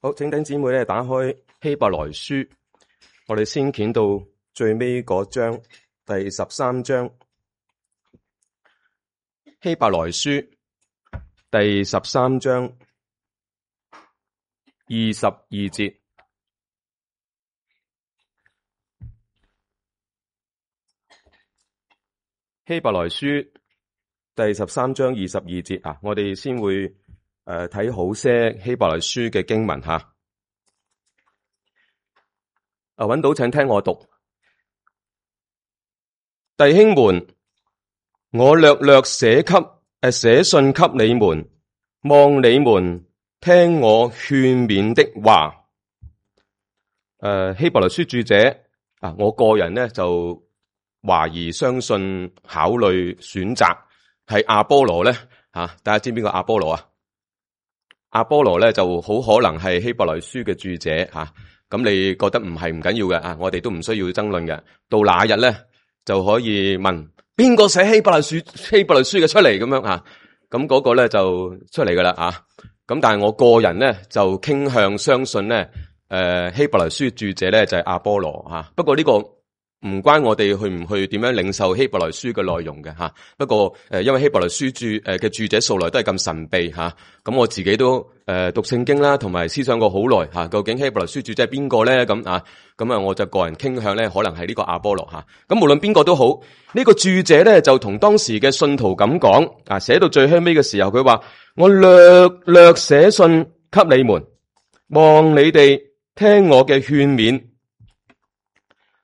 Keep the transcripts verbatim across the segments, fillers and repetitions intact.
好，請弟兄姊妹咧打開希伯來書，我哋先卷到最尾嗰章，第十三章。希伯來書第十三章二十二節。希伯來書第十三章二十二節啊，我哋先會誒睇、呃、好些希伯來書嘅經文吓。啊，揾到請聽我讀。弟兄們，我略略寫給誒寫信給你們，望你們聽我勸勉的話。誒、呃，希伯來書著者啊，我個人呢就懷疑、相信、考慮、選擇係阿波羅咧吓，大家知邊個阿波羅啊？阿波羅咧就好可能係希伯來書嘅著者吓，咁、啊、你覺得唔係唔緊要嘅啊？我哋都唔需要爭論嘅。到那日咧就可以問邊個寫希伯來書希伯來書嘅出嚟咁樣啊？咁嗰個咧就出嚟噶啦啊！咁但係我個人咧就傾向相信咧，誒、呃、希伯來書著者咧就係阿波羅吓、啊。不過呢、這個。唔關我哋去唔去點樣領受希伯來書嘅內容嘅吓，不過誒，因為希伯來書著誒嘅著者素來都係咁神秘吓，咁我自己都誒讀聖經啦，同埋思想過好耐吓，究竟希伯來書著者係邊個咧？咁啊，咁啊，我就個人傾向咧，可能係呢個阿波羅吓。咁無論邊個都好，呢個著者咧就同當時嘅信徒咁講啊，寫到最後尾嘅時候，佢話我略略寫信給你們，望你哋聽我嘅勸勉。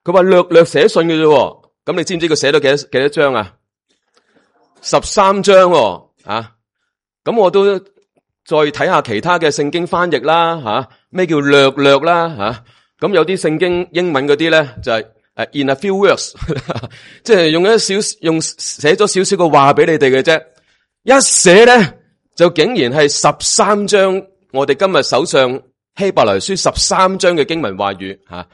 佢話略略寫信嘅啫，咁你知唔知佢寫咗幾多幾多章啊？十三章啊！咁我都再睇下其他嘅聖經翻譯啦，吓咩叫略略啦，吓咁有啲聖經英文嗰啲咧就係誒 in a few words， 即係用一少用寫咗少少嘅話俾你哋嘅啫，一寫咧就竟然係十三章，我哋今日手上希伯來書十三章嘅經文話語吓。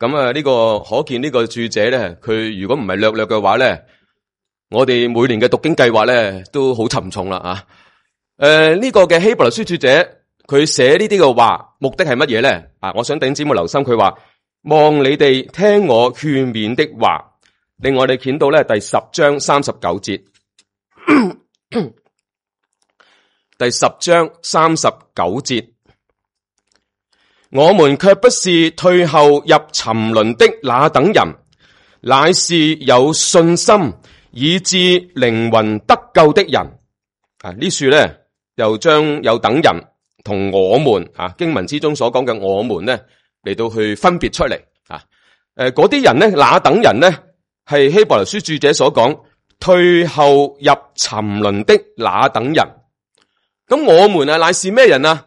咁啊，呢個可見呢個著者咧，佢如果唔係略略嘅話咧，我哋每年嘅讀經計劃咧都好沉重啦啊！誒、呃，呢、這個嘅希伯來書著者，佢寫呢啲嘅話，目的係乜嘢咧？啊，我想弟兄姊妹留心，佢話望你哋聽我勸勉的話。另外，我哋見到咧第十章三十九節，第十章三十九節。我們卻不是退後入沉淪的那等人，乃是有信心以致靈魂得救的人。啊，呢處咧又將有等人同我們啊經文之中所講嘅我們咧嚟到去分別出嚟啊。誒，嗰啲人咧，那等人咧係希伯來書著者所講退後入沉淪的那等人。咁我們啊，乃是咩人啊？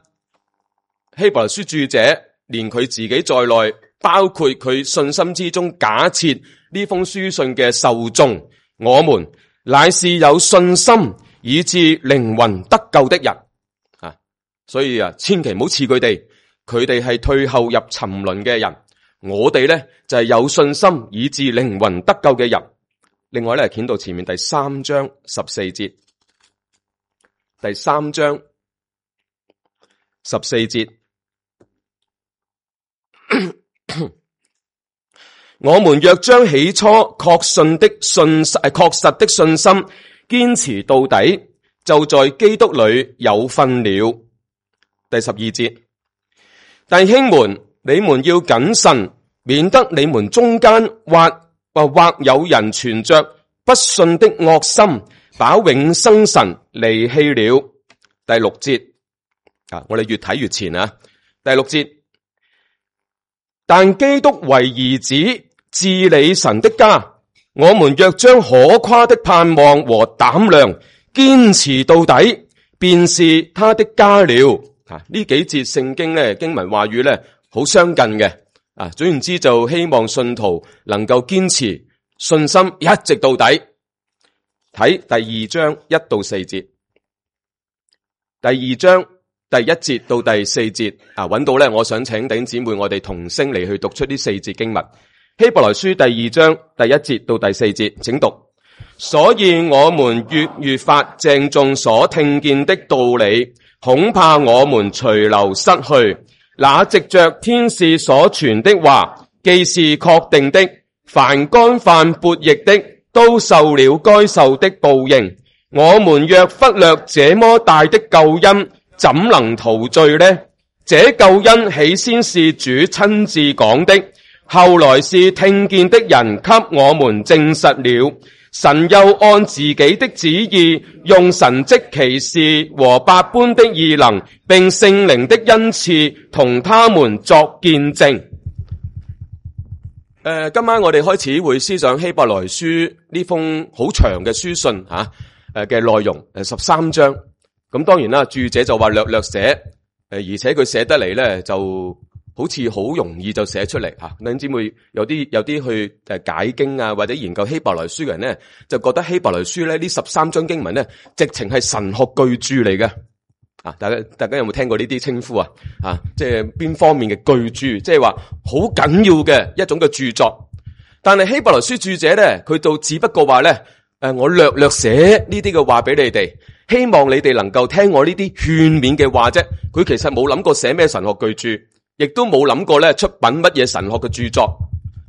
希伯來書著者連佢自己在內，包括佢信心之中假設呢封書信嘅受眾，我們乃是有信心以致靈魂得救的人啊！所以啊，千祈唔好似佢哋，佢哋係退後入沉淪嘅人，我哋咧就係有信心以致靈魂得救嘅人。另外咧，見到前面第三章十四節，第三章十四節。我們若將起初確信的信實、確實的信心堅持到底，就在基督裏有分了。第十二節，弟兄們，你們要謹慎，免得你們中間或或或有人存着不信的惡心，把永生神離棄了。第六節啊，我哋越睇越前啊。第六節。但基督為兒子治理神的家，我們若將可誇的盼望和膽量堅持到底，便是他的家了。啊，呢幾節聖經咧經文話語咧好相近嘅。啊，總言之就希望信徒能夠堅持信心一直到底。睇第二章一到四節，第二章。第一節到第四節啊，揾到咧，我想請弟兄姊妹我哋同聲嚟去讀出呢四節經文。希伯來書第二章第一節到第四節，請讀。所以我們越越發鄭重所聽見的道理，恐怕我們隨流失去。那藉着天使所傳的話，既是確定的，凡干犯悖逆的，都受了該受的報應。我們若忽略這麼大的救恩，怎能逃罪呢？這救恩起先是主親自講的，後來是聽見的人給我們證實了。神又按自己的旨意，用神蹟奇事和百般的異能，並聖靈的恩賜，同他們作見證。誒、呃，今晚我哋開始會思想希伯來書呢封好長嘅書信吓，誒嘅內容，誒十三章。咁當然啦，注者就話略略寫，誒而且佢寫得嚟咧就好似好容易就寫出嚟吓。弟兄姊妹有啲有啲去誒解經啊，或者研究希伯來書嘅人咧，就覺得希伯來書咧呢十三章經文咧，直情係神學巨著嚟嘅。啊，大家大家有冇聽過呢啲稱呼啊？啊，即係邊方面嘅巨著，即係話好緊要嘅一種嘅著作。但係希伯來書著者咧，佢就只不過話咧，誒，我略略寫呢啲嘅話俾你哋，希望你哋能夠聽我呢啲勸勉嘅話啫。佢其實冇諗過寫咩神學巨著，亦都冇諗過咧出品乜嘢神學嘅著作。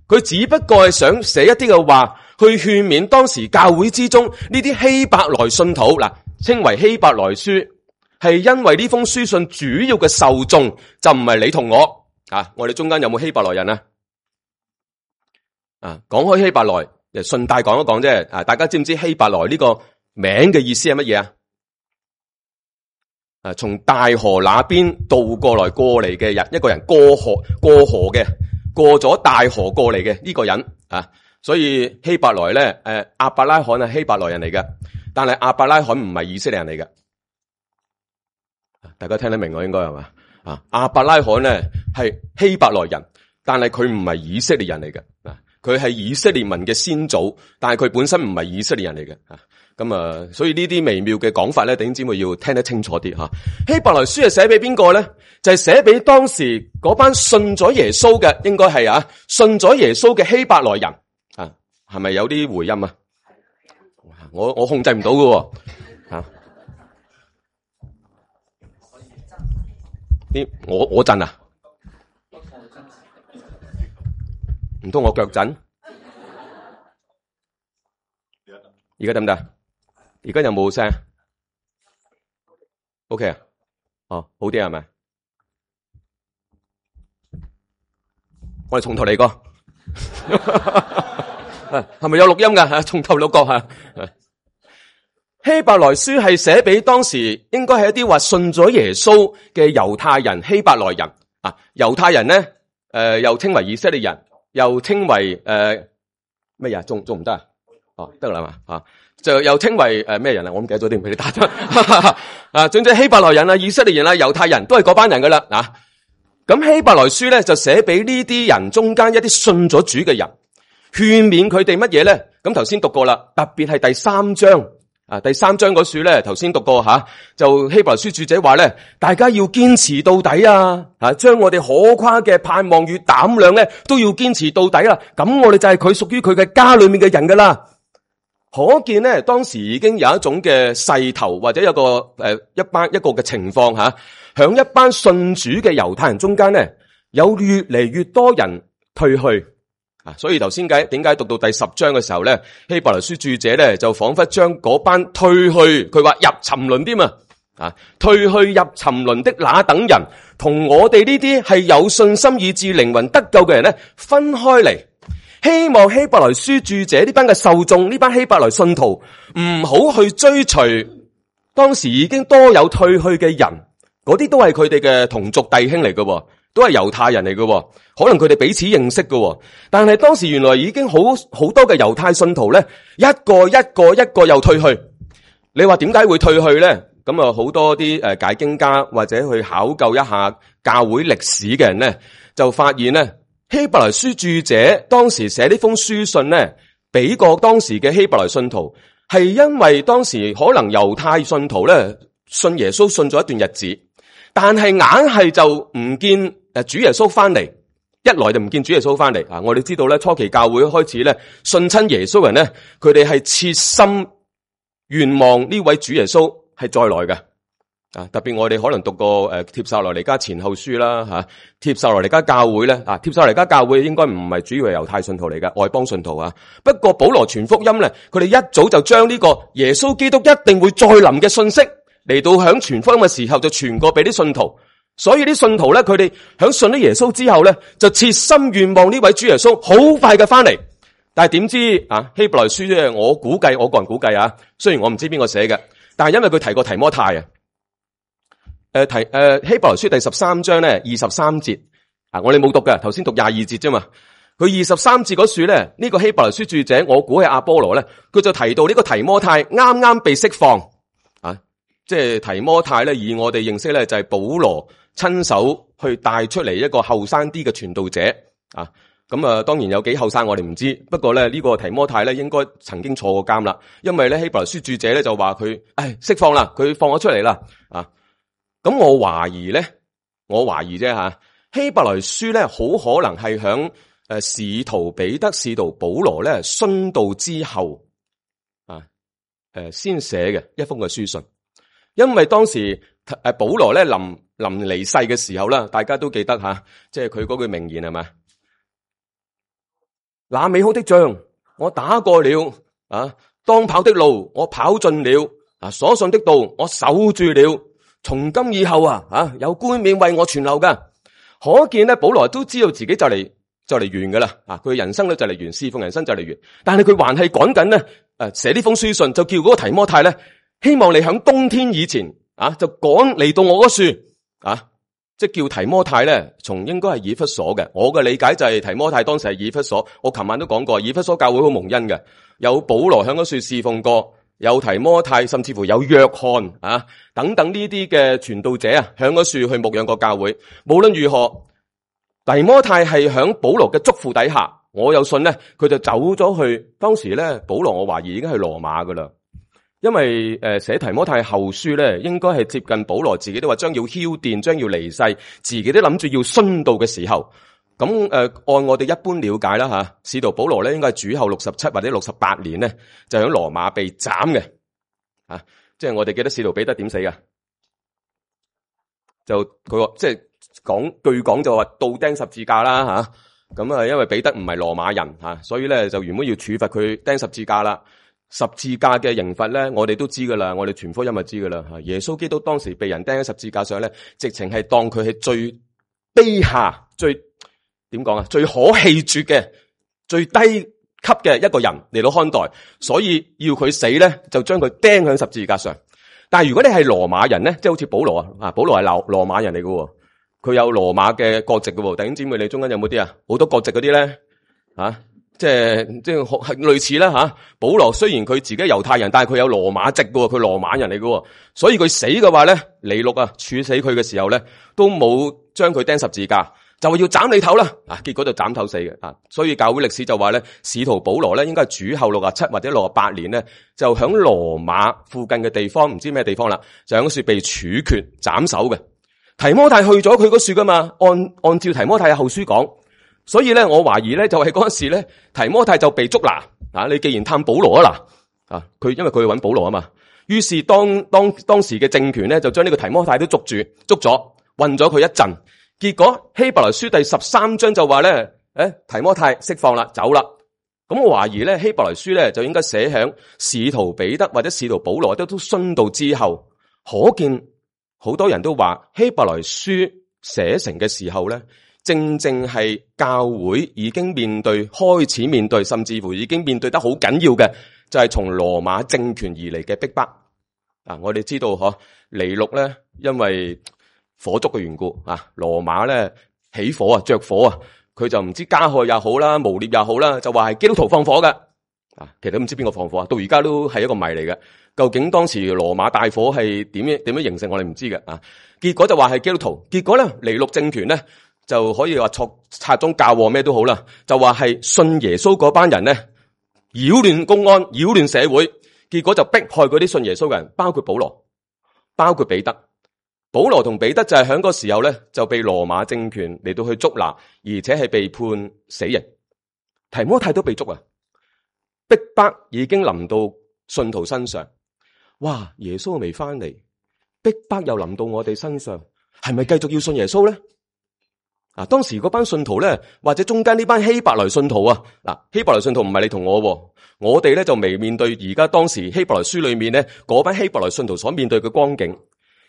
佢只不過係想寫一啲嘅話，去勸勉當時教會之中呢啲希伯來信徒，嗱，稱為希伯來書。係因為呢封書信主要嘅受眾就唔係你同我啊，我哋中間有冇希伯來人啊？啊，講開希伯來，順帶講一講啫。啊，大家知唔知希伯來呢個名嘅意思係乜嘢啊？啊，從大河那邊渡過來過嚟嘅人，一個人過河過河嘅，過咗大河過嚟嘅呢個人啊，所以希伯來咧，誒，亞伯拉罕係希伯來人嚟嘅，但係亞伯拉罕唔係以色列人嚟嘅。大家聽得明我應該係嘛？啊，亞伯拉罕咧係希伯來人，但係佢唔係以色列人嚟嘅。啊，佢係以色列民嘅先祖，但係佢本身唔係以色列人嚟嘅。啊，咁啊，所以呢啲微妙嘅講法咧，弟兄姊妹要聽得清楚啲吓。希伯來書係寫俾邊個咧？就係寫俾當時嗰班信咗耶穌嘅，應該係啊，信咗耶穌嘅希伯來人。啊，係咪有啲回音啊？我我控制唔到㗎。啊。啲我我震啊，唔通我腳震？而家得唔得？而家有冇聲 ？OK 啊，哦，好啲係咪？我哋從頭嚟過，係咪有錄音噶？從頭錄過吓。希伯來書係寫俾當時應該係一啲話信咗耶穌嘅猶太人、希伯來人啊。猶太人咧，誒、呃、又稱為以色列人，又稱為誒咩嘢？仲仲唔得啊？哦，得啦嘛啊，就又稱為誒咩、呃、人啊？我唔記得咗點俾你打咗啊。總之希伯來人啊、以色列人啊、猶太人都係嗰班人噶啦啊。咁希伯來書咧就寫俾呢啲人中間一啲信咗主嘅人，勸勉佢哋乜嘢咧？咁頭先讀過啦，特別係第三章。啊，第三章嗰書咧，頭先讀過吓、啊，就希伯來書著者話咧，大家要堅持到底啊！啊，將我哋可誇嘅盼望與膽量咧，都要堅持到底啦。咁我哋就係佢屬於佢嘅家裏面嘅人噶啦。可見咧，當時已經有一種嘅勢頭，或者有個誒、呃、一班一個嘅情況吓，響、啊、一班信主嘅猶太人中間咧，有越嚟越多人退去。啊，所以頭先解點解讀到第十章嘅時候咧，希伯來書著者咧就仿佛將嗰班退去，佢話入沉淪添啊，啊，退去入沉淪的那等人，同我哋呢啲係有信心以致靈魂得救嘅人咧分開嚟，希望希伯來書著者呢班嘅受眾，呢班希伯來信徒唔好去追隨當時已經多有退去嘅人，嗰啲都係佢哋嘅同族弟兄嚟嘅。都係猶太人嚟嘅，可能佢哋彼此認識嘅，但係當時原來已經好好多嘅猶太信徒咧，一個一個一個又退去。你話點解會退去咧？咁啊，好多啲誒解經家或者去考究一下教會歷史嘅人咧，就發現咧，希伯來書著者當時寫呢封書信咧，俾過當時嘅希伯來信徒，係因為當時可能猶太信徒咧信耶穌信咗一段日子，但係硬係就唔見誒主耶穌翻嚟，一來就唔見主耶穌翻嚟啊！我哋知道咧，初期教會開始咧信親耶穌人咧，佢哋係切心願望呢位主耶穌係再來嘅啊！特別我哋可能讀過誒帖撒羅尼迦前後書啦吓，帖撒羅尼迦教會咧啊，帖撒羅尼迦教會應該唔係主要係猶太信徒嚟嘅，外邦信徒啊。不過保羅傳福音咧，佢哋一早就將呢個耶穌基督一定會再臨嘅信息嚟到響傳福音嘅時候就傳過俾啲信徒。所以啲信徒咧，佢哋響信咗耶穌之後咧，就切心願望呢位主耶穌好快嘅翻嚟。但係點知啊，希伯來書咧，我估計，我個人估計啊，雖然我唔知邊個寫嘅，但係因為佢提過提摩太啊，誒提誒希伯來書第十三章咧二十三節啊，我哋冇讀嘅，頭先讀廿二節啫嘛。佢二十三節嗰處咧，呢個希伯來書著者，我估係阿波羅咧，佢就提到呢個提摩太啱啱被釋放啊，即係提摩太咧，以我哋認識咧就係保羅親手去帶出嚟一個後生啲嘅傳道者啊，咁啊當然有幾後生我哋唔知，不過咧呢個提摩太咧應該曾經坐過監啦，因為咧希伯來書著者咧就話佢，唉釋放啦，佢放咗出嚟啦啊，咁我懷疑咧，我懷疑啫吓，希伯來書咧好可能係響誒使徒彼得、使徒保羅咧殉道之後啊，誒先寫嘅一封嘅書信，因為當時誒保羅咧臨臨離世嘅時候啦，大家都記得吓，即係佢嗰句名言係咪？那美好的仗我打過了啊，當跑的路我跑盡了啊，所信的道我守住了，從今以後啊啊有冠冕為我存留噶。可見咧，保羅都知道自己就嚟就嚟完噶啦啊，佢人生咧就嚟完，侍奉人生就嚟完，但係佢還係趕緊咧誒寫呢封書信，就叫嗰個提摩太咧，希望你響冬天以前啊就趕嚟到我嗰處。啊，即係叫提摩太咧，從應該係以弗所嘅。我嘅理解就係提摩太當時係以弗所。我琴晚都講過，以弗所教會好蒙恩嘅，有保羅響嗰處侍奉過，有提摩太，甚至乎有約翰啊等等呢啲嘅傳道者啊，響嗰處去牧養過教會。無論如何，提摩太係響保羅嘅囑咐底下，我有信咧，佢就走咗去。當時咧，保羅我懷疑已經係羅馬噶啦。因為誒寫提摩太後書咧，應該係接近保羅自己都話將要澆奠，將要離世，自己都諗住要殉道嘅時候。咁誒、呃，按我哋一般了解啦吓，使徒保羅咧應該係主後六十七或者六十八年咧，就喺羅馬被斬嘅。啊，即係我哋記得使徒彼得點死㗎？就佢話即係講據講就話倒釘十字架啦吓。咁啊，因為彼得唔係羅馬人吓，所以咧就原本要處罰佢釘十字架啦。十字架嘅刑罰咧，我哋都知噶啦，我哋傳福音就知噶啦。耶穌基督當時被人釘喺十字架上咧，直情係當佢係最卑下、最點講啊，最可棄絕嘅、最低級嘅一個人嚟到看待，所以要佢死咧，就將佢釘喺十字架上。但係如果你係羅馬人咧，即係好似保羅啊，啊保羅係羅羅馬人嚟嘅，佢有羅馬嘅國籍嘅。弟兄姊妹，你中間有冇啲啊？好多國籍嗰啲咧，啊？即係即係係類似啦吓，保羅雖然佢自己猶太人，但係佢有羅馬籍嘅，佢羅馬人嚟嘅，所以佢死嘅話咧，尼祿啊處死佢嘅時候咧，都冇將佢釘十字架，就話要斬你頭啦，啊，結果就斬頭死嘅啊，所以教會歷史就話咧，使徒保羅咧應該係主後六十七或者六十八年咧，就響羅馬附近嘅地方，唔知咩地方啦，就響樹被處決斬首嘅。提摩太去咗佢嗰處噶嘛，按按照提摩太嘅後書講。所以咧，我懷疑咧，就係嗰陣時咧，提摩太就被捉拿啊！你既然探保羅啊嗱啊，佢因為佢去揾保羅啊嘛，於是當當當時嘅政權咧，就將呢個提摩太都捉住，捉咗，困咗佢一陣。結果希伯來書第十三章就話咧，誒，提摩太釋放啦，走啦。咁我懷疑咧，希伯來書咧就應該寫響使徒彼得或者使徒保羅都都殉道之後，可見好多人都話希伯來書寫成嘅時候咧。正正係教會已經面對，開始面對，甚至乎已經面對得好緊要嘅，就係從羅馬政權而嚟嘅逼迫。啊，我哋知道嗬，尼祿咧因為火燭嘅緣故啊，羅馬咧起火啊，着火啊，佢就唔知加害又好啦，誣衊又好啦，就話係基督徒放火嘅。啊，其實都唔知邊個放火啊，到而家都係一個謎嚟嘅。究竟當時羅馬大火係點樣點樣形成，我哋唔知嘅。啊，結果就話係基督徒，結果咧尼祿政權咧。就可以話錯拆宗教禍咩都好啦，就話係信耶穌嗰班人咧擾亂公安、擾亂社會，結果就迫害嗰啲信耶穌嘅人，包括保羅、包括彼得。保羅同彼得就係喺嗰個時候咧，就被羅馬政權嚟到去捉拿，而且係被判死刑。提摩太都被捉啊，逼迫已經臨到信徒身上。哇！耶穌未翻嚟，逼迫又臨到我哋身上，係咪繼續要信耶穌咧？啊，當時嗰班信徒咧，或者中間呢班希伯來信徒啊，嗱，希伯來信徒唔係你同我，我哋咧就未面對而家當時希伯來書裏面咧嗰班希伯來信徒所面對嘅光景。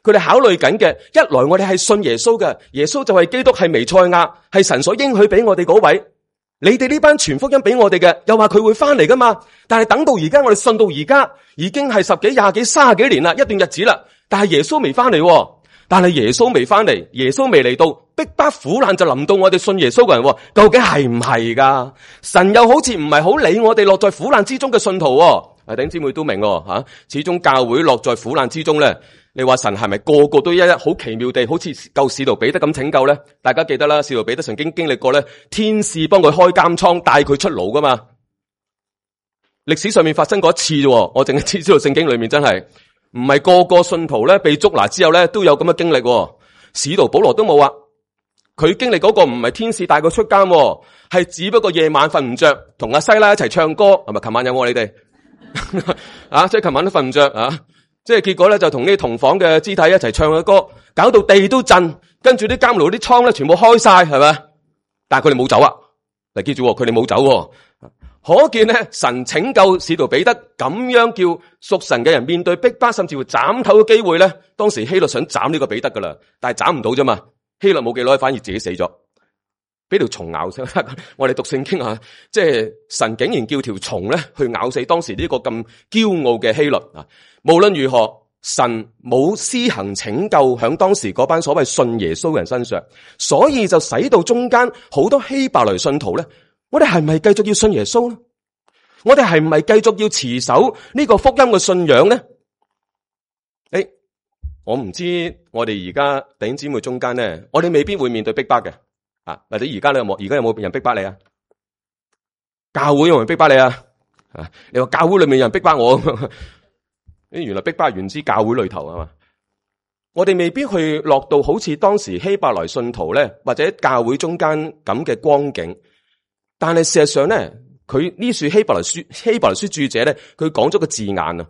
佢哋考慮緊嘅，一來我哋係信耶穌嘅，耶穌就係基督，係彌賽亞，係神所應許俾我哋嗰位。你哋呢班傳福音俾我哋嘅，又話佢會翻嚟噶嘛？但係等到而家，我哋信到而家，已經係十幾、廿幾、卅幾年啦，一段日子啦。但係耶穌未翻嚟，但係耶穌未翻嚟，耶穌未嚟到，逼迫苦難就臨到我哋信耶穌嘅人，究竟係唔係噶？神又好似唔係好理我哋落在苦難之中嘅信徒。啊，弟兄姊妹都明吓，始終教會落在苦難之中咧。你話神係咪個個都一一好奇妙地好似救使徒彼得咁拯救咧？大家記得啦，使徒彼得曾經經歷過咧，天使幫佢開監倉，帶佢出牢噶嘛。歷史上面發生過一次啫，我淨係知知道聖經裏面真係唔係個個信徒咧被捉拿之後咧都有咁嘅經歷。使徒保羅都冇啊，佢經歷嗰個唔係天使帶佢出監，係只不過夜晚瞓唔着，同阿西拉一齊唱歌，係咪？琴晚有冇你哋啊？即係琴晚都瞓唔着啊！即係結果咧，就同啲同房嘅肢體一齊唱嘅歌，搞到地都震，跟住啲監牢啲倉咧全部開晒，係咪？但係佢哋冇走啊！嗱，記住，佢哋冇走，可見咧神拯救使徒彼得，咁樣叫屬神嘅人面對逼迫，甚至乎斬頭嘅機會咧。當時希律想斬呢個彼得噶啦，但係斬唔到啫嘛。希律冇幾耐，反而自己死咗，俾條蟲咬死。我哋讀聖經啊，即係神竟然叫條蟲咧去咬死當時呢個咁驕傲嘅希律啊！無論如何，神冇施行拯救響當時嗰班所謂信耶穌嘅人身上，所以就使到中間好多希伯來信徒咧，我哋係咪繼續要信耶穌呢？我哋係唔係繼續要持守呢個福音嘅信仰呢？誒，我唔知我哋而家弟兄姊妹中間咧，我哋未必會面對逼迫嘅啊！或者而家你有冇？而家有冇人逼迫你啊？教會有冇人逼迫你啊？啊，你話教會裏面有人逼迫我？原來逼迫源自教會裏頭係嘛？我哋未必去落到好似當時希伯來信徒咧，或者教會中間咁嘅光景。但係事實上咧，佢呢書希伯來書希伯來書著者咧，佢講咗個字眼啊，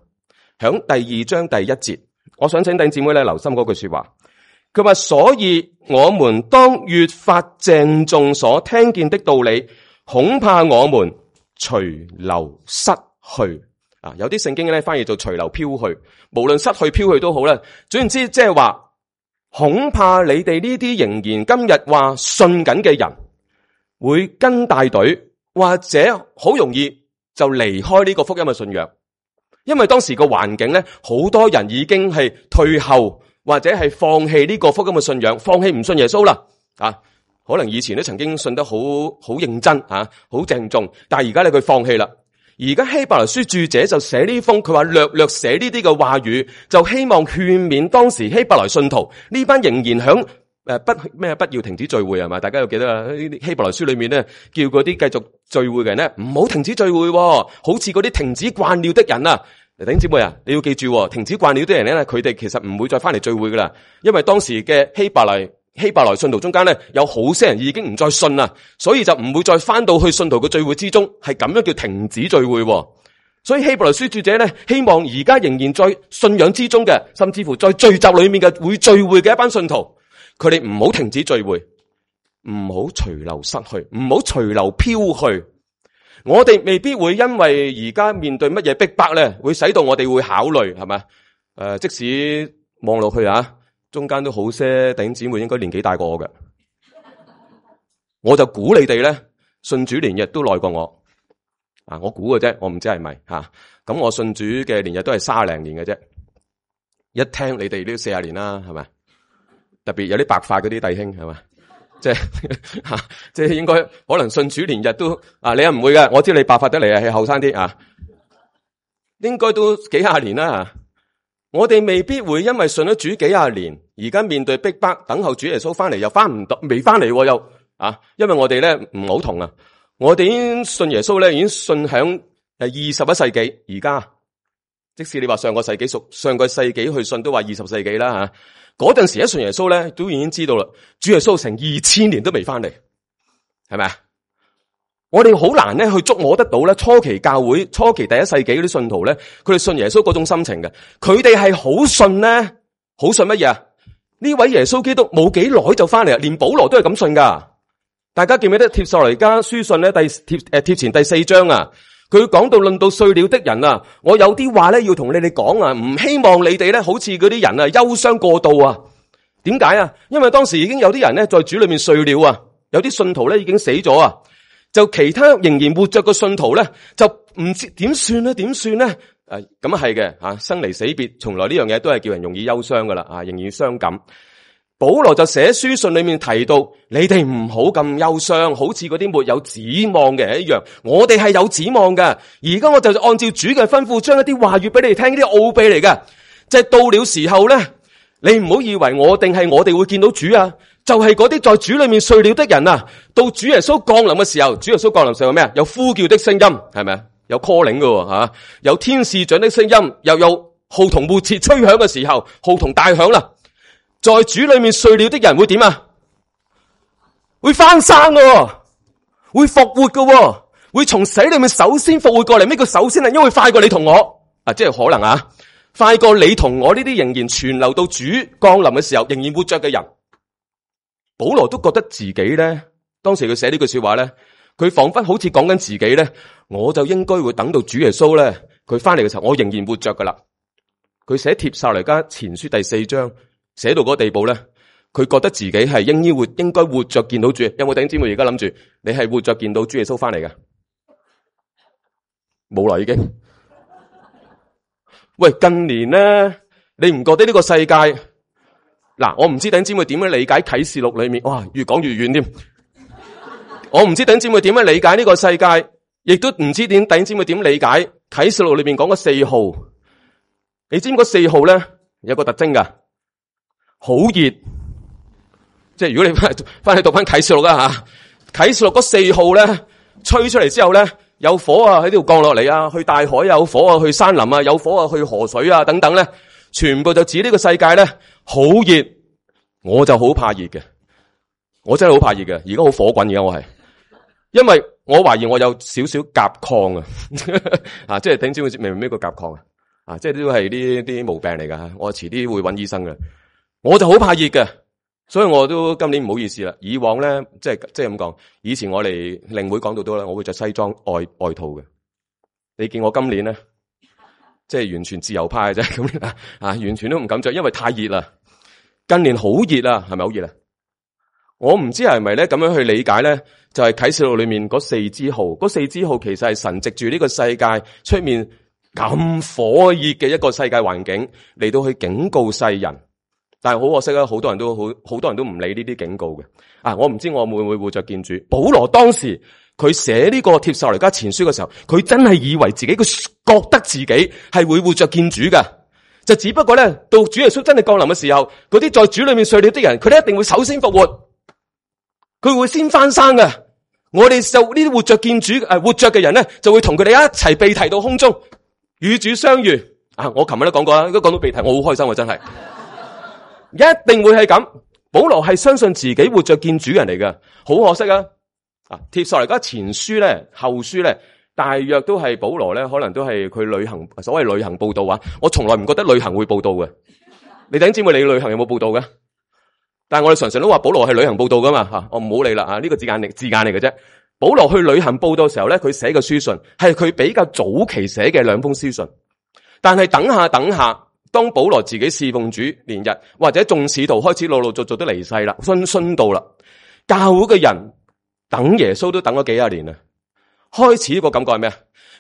響第二章第一節，我想請弟兄姊妹咧留心嗰句說話。佢話：所以我們當越發鄭重所聽見的道理，恐怕我們隨流失去。啊，有啲聖經咧翻譯做隨流飄去，無論失去飄去都好啦。總言之，即係話恐怕你哋呢啲仍然今日話信緊嘅人，會跟大隊，或者好容易就離開呢個福音嘅信仰。因為當時個環境咧，好多人已經係退後，或者係放棄呢個福音嘅信仰，放棄唔信耶穌啦。啊，可能以前都曾經信得好好認真啊，好鄭重，但係而家咧佢放棄啦。而家希伯來書著者就寫呢封，佢話略略寫呢啲嘅話語，就希望勸勉當時希伯來信徒呢班仍然響誒不咩不要停止聚會係嘛？大家要記得啊！呢啲希伯來書裏面咧，叫嗰啲繼續聚會嘅人咧，唔好停止聚會，好似嗰啲停止慣了的人啊！弟兄姊妹啊，你要記住，停止慣了的人咧，佢哋其實唔會再翻嚟聚會噶啦，因為當時嘅希伯來。希伯來信徒中間咧，有好些人已經唔再信啦，所以就唔會再翻到去信徒嘅聚會之中，係咁樣叫停止聚會。所以希伯來書著者咧，希望而家仍然在信仰之中嘅，甚至乎在聚集裏面嘅會聚會嘅一班信徒，佢哋唔好停止聚會，唔好隨流失去，唔好隨流飄去。我哋未必會因為而家面對乜嘢逼迫咧，會使到我哋會考慮係咪？誒、呃，即使望落去啊。中間都好些弟兄姊妹應該年紀大過我嘅，我就估你哋咧信主年日都耐過我啊！我估嘅啫，我唔知係咪吓。咁我信主嘅年日都係卅零年嘅啫。一聽你哋都四十年啦，係咪？特別有啲白髮嗰啲弟兄係咪？即係吓，即係應該可能信主年日都啊，你又唔會嘅。我知你白髮得嚟啊，係後生啲啊，應該都幾廿年啦。我哋未必會因為信咗主幾廿年，而家面對逼迫，等候主耶穌翻嚟又翻唔到，未翻嚟又啊！因為我哋咧唔好同啊，我哋已經信耶穌咧，已經信響誒二十一世紀。而家即使你話上個世紀屬上個世紀去信，都話二十世紀啦吓。嗰陣時一信耶穌咧，都已經知道啦，主耶穌成二千年都未翻嚟，係咪啊？我哋好難咧去捉摸得到咧，初期教會、初期第一世紀嗰啲信徒咧，佢哋信耶穌嗰種心情嘅，佢哋係好信咧，好信乜嘢啊？呢位耶穌基督冇幾耐就翻嚟啊，連保羅都係咁信噶。大家記唔記得帖撒羅尼迦書信咧第帖誒帖前第四章啊？佢講到論到睡了的人啊，我有啲話咧要同你哋講啊，唔希望你哋咧好似嗰啲人啊憂傷過度啊。點解啊？因為當時已經有啲人咧在主裏面睡了啊，有啲信徒咧已經死咗啊，就其他仍然活着嘅信徒咧就唔知點算咧？點算咧？誒，咁啊係嘅吓，生離死別，從來呢樣嘢都係叫人容易憂傷噶啦啊，仍然傷感。保羅就寫書信裏面提到，你哋唔好咁憂傷，好似嗰啲沒有指望嘅人一樣。我哋係有指望嘅。而家我就按照主嘅吩咐，將一啲話語俾你哋聽，呢啲奧秘嚟嘅。即係到了時候咧，你唔好以為我定係我哋會見到主啊，就係嗰啲在主裏面睡了的人啊。到主耶穌降臨嘅時候，主耶穌降臨時候係咩啊？有呼叫的聲音，係咪啊？有 calling 嘅吓，有天使長的聲音，又有號筒末次吹響嘅時候，號筒大響啦。在主裏面睡了的人會點啊？會翻生嘅，會復活嘅，會從死裏面首先復活過嚟。咩叫首先啊？因為快過你同我啊，即係可能啊，快過你同我呢啲仍然存留到主降臨嘅時候仍然活着嘅人。保羅都覺得自己咧，當時佢寫呢句說話咧，佢仿佛好似講緊自己咧，我就應該會等到主耶穌咧，佢翻嚟嘅時候，我仍然活着噶啦。佢寫帖撒羅尼迦前書第四章。寫到嗰個地步咧，佢覺得自己係應該活，應該活着見到主。有冇弟兄姊妹而家諗住，你係活着見到主耶穌翻嚟嘅？冇啦，已經。喂，近年咧，你唔覺得呢個世界？嗱，我唔知弟兄姊妹點樣理解啟示錄裏面，哇，越講越遠添。我唔知弟兄姊妹點樣理解呢個世界，亦都唔知點弟兄姊妹點理解啟示錄裏面講嘅四號。你知唔知嗰四號咧有個特徵噶？好熱，即係如果你翻翻去讀翻啟示錄啦吓，啟示錄嗰四號咧吹出嚟之後咧，有火啊喺呢度降落嚟啊，去大海有火啊，去山林啊有火啊，去河水啊等等咧，全部就指呢個世界咧好熱，我就好怕熱嘅，我真係好怕熱嘅，而家好火滾，而家我係，因為我懷疑我有少少甲亢啊，啊，即係頂知會明唔明咩叫甲亢啊？啊，即係都係呢啲毛病嚟噶，我遲啲會揾醫生嘅。我就好怕熱嘅，所以我都今年唔好意思啦。以往咧，即係即係咁講，以前我哋令會講到多啦，我會着西裝外外套嘅。你見我今年咧，即係完全自由派嘅啫，咁啊，完全都唔敢着，因為太熱啦。近年好熱啊，係咪好熱啊？我唔知係咪咧咁樣去理解咧，就係啟示錄裏面嗰四支號，嗰四支號其實係神藉住呢個世界出面咁火熱嘅一個世界環境嚟到去警告世人。但係好可惜啊，好多人都好好多人都唔理呢啲警告嘅。啊，我唔知我會唔會活着見主。保羅當時佢寫呢個帖撒羅尼迦前書嘅時候，佢真係以為自己佢覺得自己係會活着見主噶。就只不過咧，到主耶穌真係降臨嘅時候，嗰啲在主裏面睡了的人，佢哋一定會首先復活，佢會先翻生嘅。我哋就呢啲活着見主誒，活着嘅人咧，就會同佢哋一齊被提到空中，與主相遇。啊，我琴日都講過啦，如果講到被提，我好開心啊，真係。一定會係咁，保羅係相信自己活着見主人嚟嘅，好可惜啊！啊，帖撒羅尼迦前書咧、後書咧，大約都係保羅咧，可能都係佢旅行，所謂旅行報道啊。我從來唔覺得旅行會報道嘅。你弟兄姊妹，你旅行有冇報道嘅？但係我哋常常都話保羅係旅行報道噶嘛吓，我唔好理啦啊！呢個字眼嚟字眼嚟嘅啫。保羅去旅行報道嘅時候咧，佢寫嘅書信係佢比較早期寫嘅兩封書信，但係等下等下。當保羅自己侍奉主連日，或者眾使徒開始陸陸續續都離世啦，殉殉道啦，教會嘅人等耶穌都等咗幾廿年啦，開始個感覺係咩啊？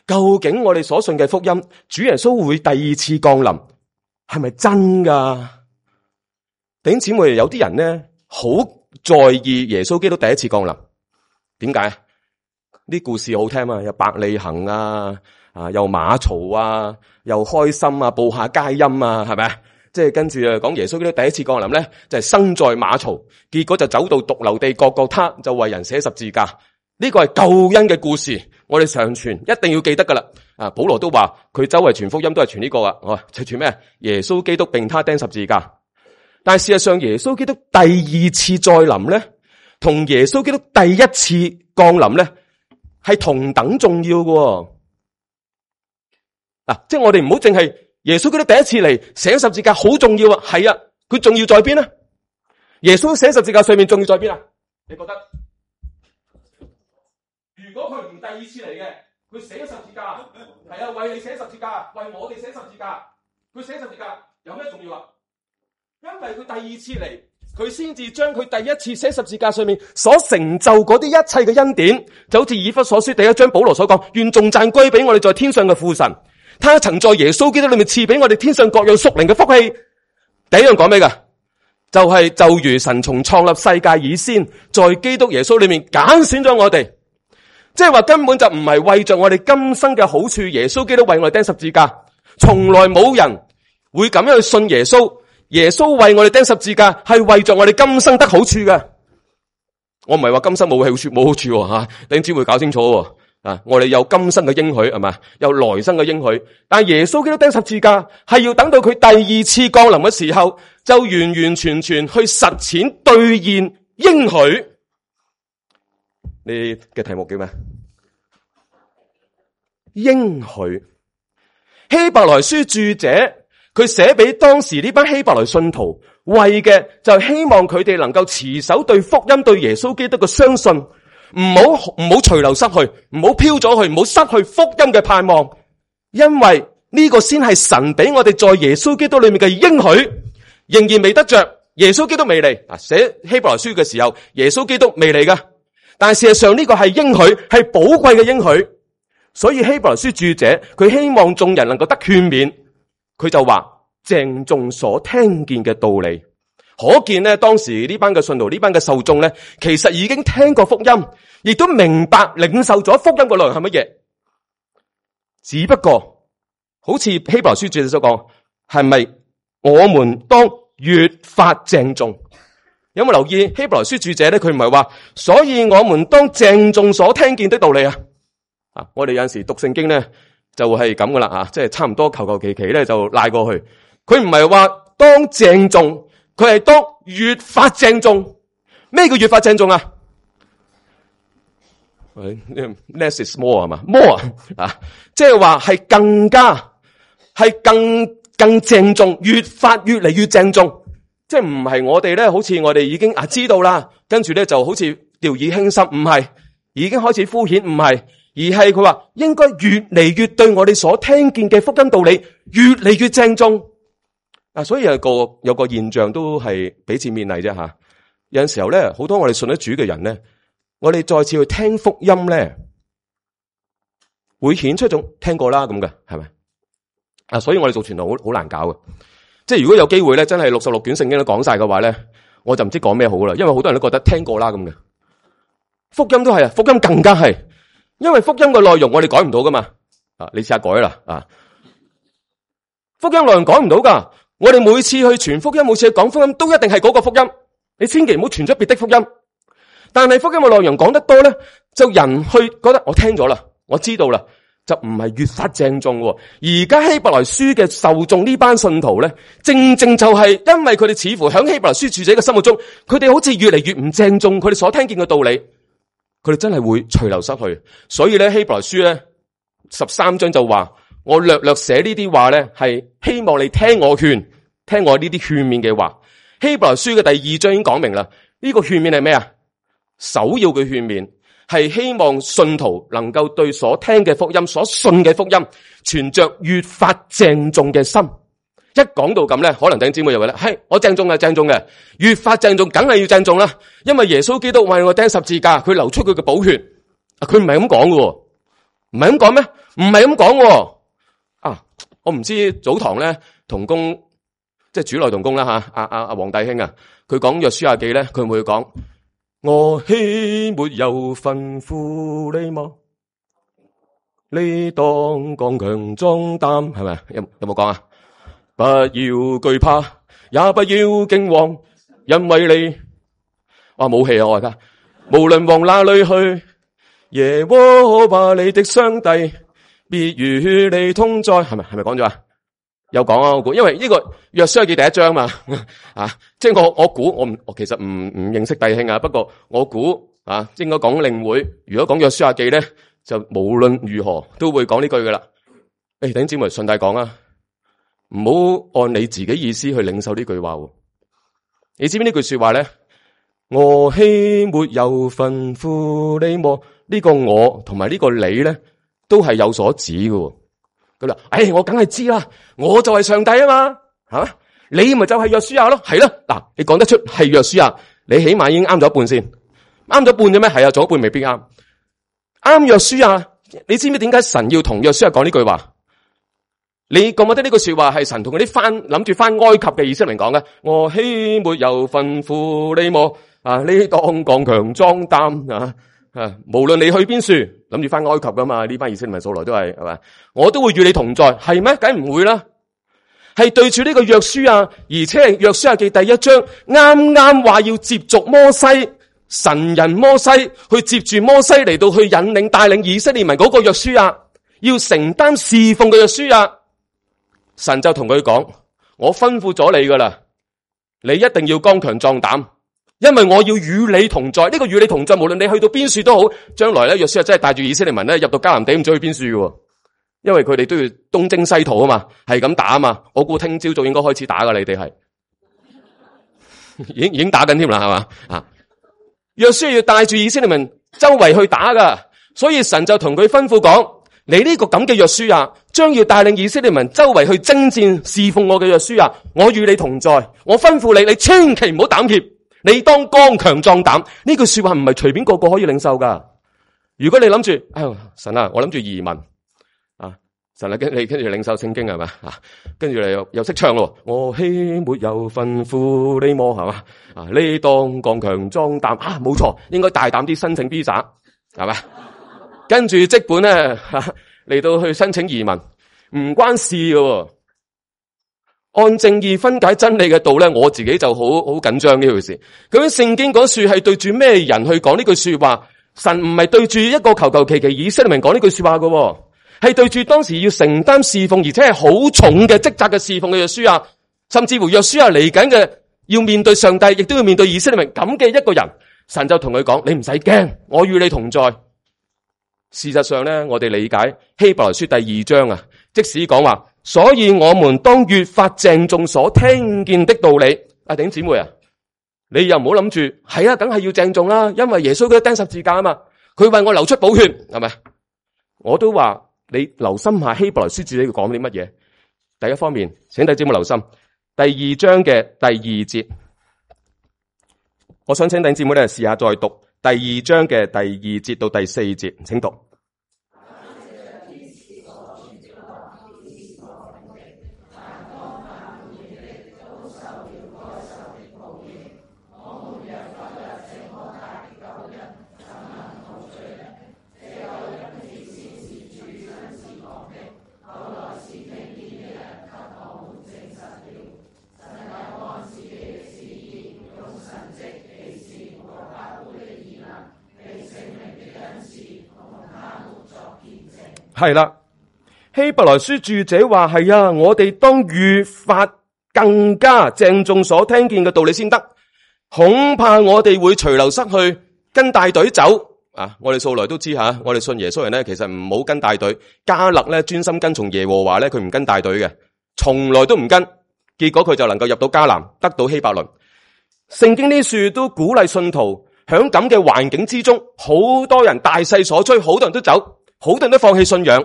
究竟我哋所信嘅福音，主耶穌會第二次降臨，係咪真噶？弟兄姊妹，有啲人咧好在意耶穌基督第一次降臨，點解？啲故事好聽啊，有伯利恆啊。啊，又馬槽啊，又開心啊，報下佳音啊，係咪啊？即係跟住啊，講耶穌基督第一次降臨咧，就係生在馬槽，結果就走到髑髏地各各他，就為人寫十字架。呢個係救恩嘅故事，我哋常傳，一定要記得噶啦。啊，保羅都話佢周圍傳福音都係傳呢個啊，哦，就傳咩？耶穌基督並他釘十字架。但係事實上耶穌基督第二次再臨咧，同耶穌基督第一次降臨咧係同等重要嘅。嗱，即係我哋唔好淨係耶穌基督第一次嚟寫十字架好重要啊，係啊，佢重要在邊呢？耶穌寫十字架上面重要在邊啊？你覺得？如果佢唔第二次嚟嘅，佢寫十字架，係啊，為你寫十字架，為我哋寫十字架，佢寫十字架有咩重要啊？因為佢第二次嚟，佢先至將佢第一次寫十字架上面所成就嗰啲一切嘅恩典，就好似以弗所書第一章保羅所講，願頌讚歸俾我哋在天上嘅父神。他曾在耶穌基督裏面賜俾我哋天上各樣屬靈嘅福氣。第一樣講咩噶？就係、是、就如神從創立世界以先，在基督耶穌裏面揀選咗我哋，即係話根本就唔係為着我哋今生嘅好處，耶穌基督為我哋釘十字架，從來冇人會咁樣去信耶穌。耶穌為我哋釘十字架係為着我哋今生得好處嘅。我唔係話今生冇好處冇好處吓，你只會搞清楚。啊！我哋有今生嘅應許係嘛，有來生嘅應許，但係耶穌基督釘十字架係要等到佢第二次降臨嘅時候，就完完全全去實踐兌現應許。你嘅題目叫咩？應許。希伯來書著者佢寫俾當時呢班希伯來信徒，為嘅就係希望佢哋能夠持守對福音、對耶穌基督嘅相信。唔好唔好隨流失去，唔好飄咗去，唔好失去福音嘅盼望，因為呢個先係神俾我哋在耶穌基督裏面嘅應許，仍然未得着。耶穌基督未嚟啊！寫希伯來書嘅時候，耶穌基督未嚟噶，但係事實上呢個係應許，係寶貴嘅應許。所以希伯來書著者佢希望眾人能夠得勸勉，佢就話鄭重所聽見嘅道理。可見咧，當時呢班嘅信徒，呢班嘅受眾咧，其實已經聽過福音，亦都明白領受咗福音嘅內容係乜嘢。只不過，好似希伯來書著者所講，係咪我們當越發鄭重？有冇留意希伯來書著者咧？佢唔係話，所以我們當鄭重所聽見的道理啊！啊，我哋有陣時讀聖經咧，就係咁噶啦啊，即係差唔多求求其其咧就賴過去。佢唔係話當鄭重。佢係當越發鄭重。咩叫越發鄭重啊？喂 ，less is more 係嘛 ？more 啊，即係話係更加係更更鄭重，越發越嚟越鄭重。即係唔係我哋咧，好似我哋已經啊知道啦，跟住咧就好似掉以輕心，唔係已經開始敷衍，唔係，而係佢話應該越嚟越對我哋所聽見嘅福音道理越嚟越鄭重。啊，所以有個有個現象都係彼此勉勵啫吓。有陣時候咧，好多我哋信得主嘅人咧，我哋再次去聽福音咧，會顯出一種聽過啦咁嘅，係咪？啊，所以我哋做傳道好好難搞嘅。即係如果有機會咧，真係六十六卷聖經都講晒嘅話咧，我就唔知講咩好啦。因為好多人都覺得聽過啦咁嘅，福音都係啊，福音更加係，因為福音嘅內容我哋改唔到噶嘛。啊，你試下改啦啊，福音內容改唔到噶。我哋每次去傳福音，每次去講福音，都一定係嗰個福音。你千祈唔好傳出別的福音。但係福音嘅內容講得多咧，就人去覺得我聽咗啦，我知道啦，就唔係越發鄭重。而家希伯來書嘅受眾呢班信徒咧，正正就係因為佢哋似乎喺希伯來書著者嘅心目中，佢哋好似越嚟越唔鄭重佢哋所聽見嘅道理，佢哋真係會隨流失去。所以咧，希伯來書咧十三章就話，我略略寫呢啲話咧，係希望你聽我勸，聽我呢啲勸勉嘅話。希伯來書嘅第二章已經講明啦，呢個勸勉係咩啊？首要嘅勸勉係希望信徒能夠對所聽嘅福音、所信嘅福音，存着越發鄭重嘅心。一講到咁咧，可能弟兄姊妹就話咧，係我鄭重嘅，鄭重嘅，越發鄭重，梗係要鄭重啦。因為耶穌基督為我釘十字架，佢流出佢嘅寶血，佢唔係咁講嘅，唔係咁講咩？唔係咁講。啊，我唔知早堂咧同工，即係主內同工啦吓，阿阿阿黃弟兄啊，佢講約書亞記咧，佢會唔會講我豈沒有吩咐你嗎？你當剛強壯膽，係咪？有有冇講啊？不要懼怕，也不要驚惶，因為你哇冇氣啊！我而家無論往哪裏去，耶和華你的上帝必與你同在，係咪？係咪講咗啊？有講啊，我估，因為呢個約書亞記第一章嘛，啊，即係我我估，我唔，我其實唔唔認識弟兄啊，不過我估啊，應該講領會，如果講約書亞記咧，就無論如何都會講呢句噶啦。誒，弟兄姊妹順帶講啊，唔好按你自己意思去領受呢句話。你知唔知呢句說話咧？我豈沒有吩咐你麼？呢個我同埋呢個你咧，都係有所指嘅。咁啦，誒，我梗係知啦，我就係上帝啊嘛，係嘛？你咪就係約書亞咯，係咯。嗱，你講得出係約書亞，你起碼已經啱咗一半先，啱咗一半啫咩？係啊，仲有一半未必啱。啱約書亞，你知唔知點解神要同約書亞講呢句話？你覺唔覺得呢句說話係神同嗰啲翻諗住翻埃及嘅以色列人講嘅？我豈沒有吩咐你麼？啊，你當剛強壯膽啊！啊，無論你去邊處，諗住翻埃及噶嘛？呢班以色列人素來都係係嘛？我都會與你同在，係咩？梗唔會啦。係對住呢個約書亞，而且係約書亞記第一章啱啱話要接續摩西，神人摩西去接住摩西嚟到去引領帶領以色列民嗰個約書亞，要承擔侍奉嘅約書亞，神就同佢講：我吩咐咗你噶啦，你一定要剛強壯膽。因為我要與你同在，呢、這個與你同在，無論你去到邊處都好，將來咧約書亞真係帶住以色列民咧入到迦南地，唔知去邊處嘅，因為佢哋都要東征西討啊嘛，係咁打啊嘛。我估聽朝早應該開始打噶，你哋係已經已經打緊添啦，係嘛啊？約書亞要帶住以色列民周圍去打噶，所以神就同佢吩咐講：你呢個咁嘅約書亞，將要帶領以色列民周圍去征戰侍奉我嘅約書亞，我與你同在，我吩咐你，你千祈唔好膽怯。你當剛強壯膽，呢句說話唔係隨便個個可以領受噶。如果你諗住，哎呦神啊，我諗住移民啊，神啊，跟你跟住領受聖經係嘛啊，跟住你又又識唱咯。我豈沒有吩咐你麼係嘛啊？你當剛強壯膽啊，冇錯，應該大膽啲申請 visa 係嘛？跟住即本咧嚟到去申請移民，唔關事嘅。按正義分解真理嘅道咧，我自己就好好緊張呢回事。究竟聖經嗰處係對住咩人去講呢句說話？神唔係對住一個求求其其以色列民講呢句說話嘅，係對住當時要承擔侍奉而且係好重嘅職責嘅侍奉嘅約書亞，甚至乎約書亞嚟緊嘅要面對上帝，亦都要面對以色列民咁嘅一個人。神就同佢講：你唔使驚，我與你同在。事實上咧，我哋理解希伯來書第二章啊，即使講話。所以我們當越發鄭重所聽見的道理。阿弟兄姊妹啊，你又唔好諗住係啊，梗係要鄭重啦，因為耶穌佢釘十字架啊嘛，佢為我流出寶血，係咪？我都話你留心下希伯來書自己講啲乜嘢。第一方面，請弟兄姊妹留心第二章嘅第二節，我想請弟兄姊妹咧試下再讀第二章嘅第二節到第四節，請讀。係啦，希伯來書著者話係啊，我哋當越發更加鄭重所聽見嘅道理先得，恐怕我哋會隨流失去，跟大隊走啊！我哋素來都知吓，我哋信耶穌人咧，其實唔好跟大隊。迦勒咧專心跟從耶和華咧，佢唔跟大隊嘅，從來都唔跟，結果佢就能夠入到迦南，得到希伯倫。聖經呢書都鼓勵信徒響咁嘅環境之中，好多人大勢所趨，好多人都走。好多人都放棄信仰，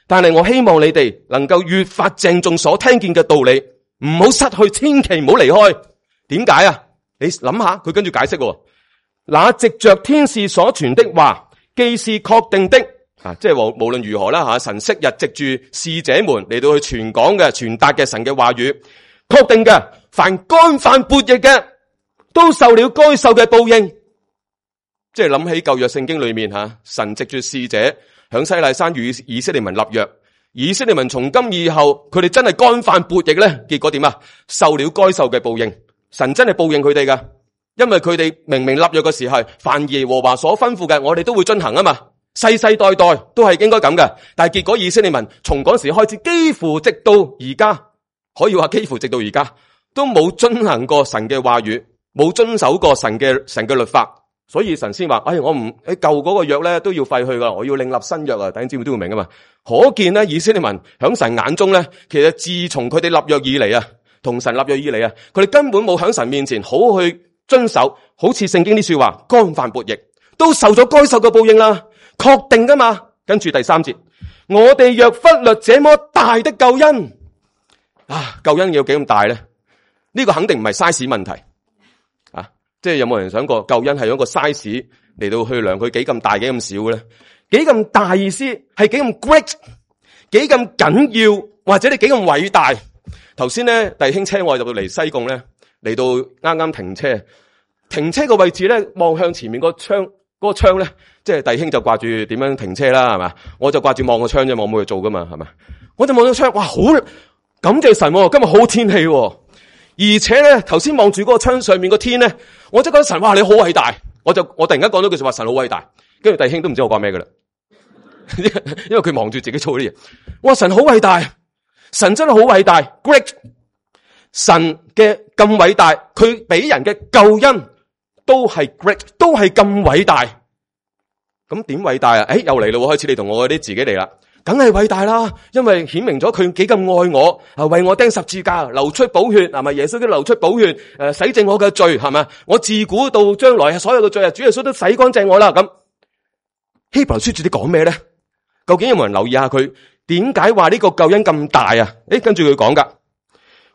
但係我希望你哋能夠越發鄭重所聽見嘅道理，唔好失去，千祈唔好離開。點解啊？你諗下，佢跟住解釋，那藉着天使所傳的話，既是確定的啊，即係無無論如何啦吓，神昔日藉住使者們嚟到去傳講嘅、傳達嘅神嘅話語，確定嘅，凡干犯悖逆嘅，都受了該受嘅報應。即係諗起舊約聖經裏面吓，神藉住使者。響西奈山與以色列民立約，以色列民從今以後，佢哋真係干犯悖逆咧，結果點啊？受了該受嘅報應，神真係報應佢哋噶，因為佢哋明明立約嘅時候，凡耶和華所吩咐嘅，我哋都會遵行啊嘛，世世代代都係應該咁嘅。但係結果以色列民從嗰時開始，幾乎直到而家可以話幾乎直到而家都冇遵行過神嘅話語，冇遵守過神嘅神嘅律法，所以神先話：哎，我唔喺舊嗰個約咧都要廢去噶，我要另立新約啊！弟兄姊妹都會明噶嘛。可見咧，以色列民響神眼中咧，其實自從佢哋立約以嚟啊，同神立約以嚟啊，佢哋根本冇響神面前好去遵守，好似聖經啲說話，干犯悖逆，都受咗該受嘅報應啦，確定噶嘛。跟住第三節，我哋若忽略這麼大的救恩，啊，救恩要幾咁大咧？呢個肯定唔係 size 問題啊！即係有冇人想過救恩係用個 size 嚟到去量佢幾咁大幾咁少嘅咧？幾咁大意思係幾咁 great， 幾咁緊要，或者你幾咁偉大？頭先咧，弟兄車我入到嚟西貢咧，嚟到啱啱停車，停車個位置咧，望向前面個窗，嗰個窗咧，即係弟兄就掛住點樣停車啦，係嘛？我就掛住望個窗啫，我冇去做噶嘛，係嘛？我就望到窗，哇，好感謝神，今日好天氣，而且咧，頭先望住嗰個窗上面個天咧，我真覺得神，哇，你好偉大！我就我突然間講咗句說話，神好偉大，跟住弟兄都唔知我講咩噶啦，因為佢望住自己做啲嘢，哇，神好偉大，神真係好偉大 ，great！ 神嘅咁偉大，佢俾人嘅救恩都係 great， 都係咁偉大。咁點偉大啊？誒，又嚟咯，開始你同我嗰啲自己嚟啦，梗係偉大啦，因為顯明咗佢幾咁愛我，啊，為我釘十字架，流出寶血，係咪？耶穌都流出寶血，誒，洗淨我嘅罪，係咪？我自古到將來所有嘅罪啊，主耶穌都洗乾淨我啦。咁希伯來書主啲講咩咧？究竟有冇人留意下佢點解話呢個救恩咁大啊？誒，跟住佢講噶，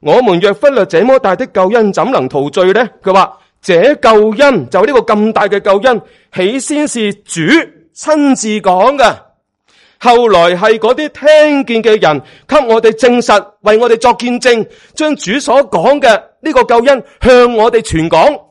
我們若忽略這麼大的救恩，怎能逃罪呢？佢話這救恩就呢個咁大嘅救恩，起先是主親自講嘅，後來係嗰啲聽見嘅人給我哋證實，為我哋作見證，將主所講嘅呢個救恩向我哋傳講。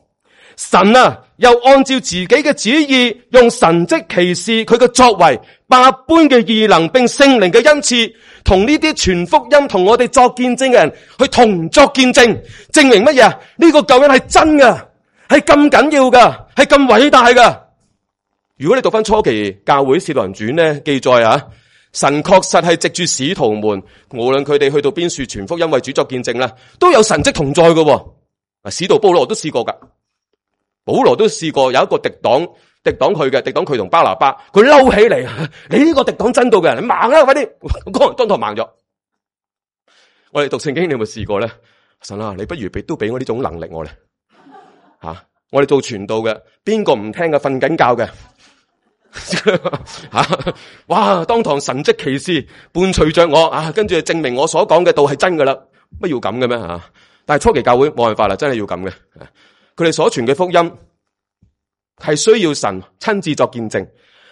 神啊，又按照自己嘅旨意，用神蹟奇事佢嘅作為，百般嘅異能並聖靈嘅恩賜，同呢啲傳福音同我哋作見證嘅人去同作見證，證明乜嘢啊？呢個救恩係真嘅，係咁緊要噶，係咁偉大噶。如果你讀翻初期教會使徒行傳咧，記載啊，神確實係藉住使徒們，無論佢哋去到邊處傳福音為主作見證啦，都有神蹟同在噶。啊，使徒保羅都試過噶。保羅都試過有一個敵黨敵黨佢嘅敵黨佢同巴拿巴，佢嬲起嚟，你呢個敵黨真道嘅人，你盲啦，快啲，當當堂盲咗。我哋讀聖經，你有冇試過咧？神啊，你不如俾都俾我呢種能力我咧吓、啊，我哋做傳道嘅，邊個唔聽嘅？瞓緊覺嘅吓、啊，哇！當堂神蹟奇事伴隨着我啊，跟住證明我所講嘅道係真噶啦，乜要咁嘅咩吓？但係初期教會冇辦法啦，真係要咁嘅。佢哋所傳嘅福音係需要神親自作見證，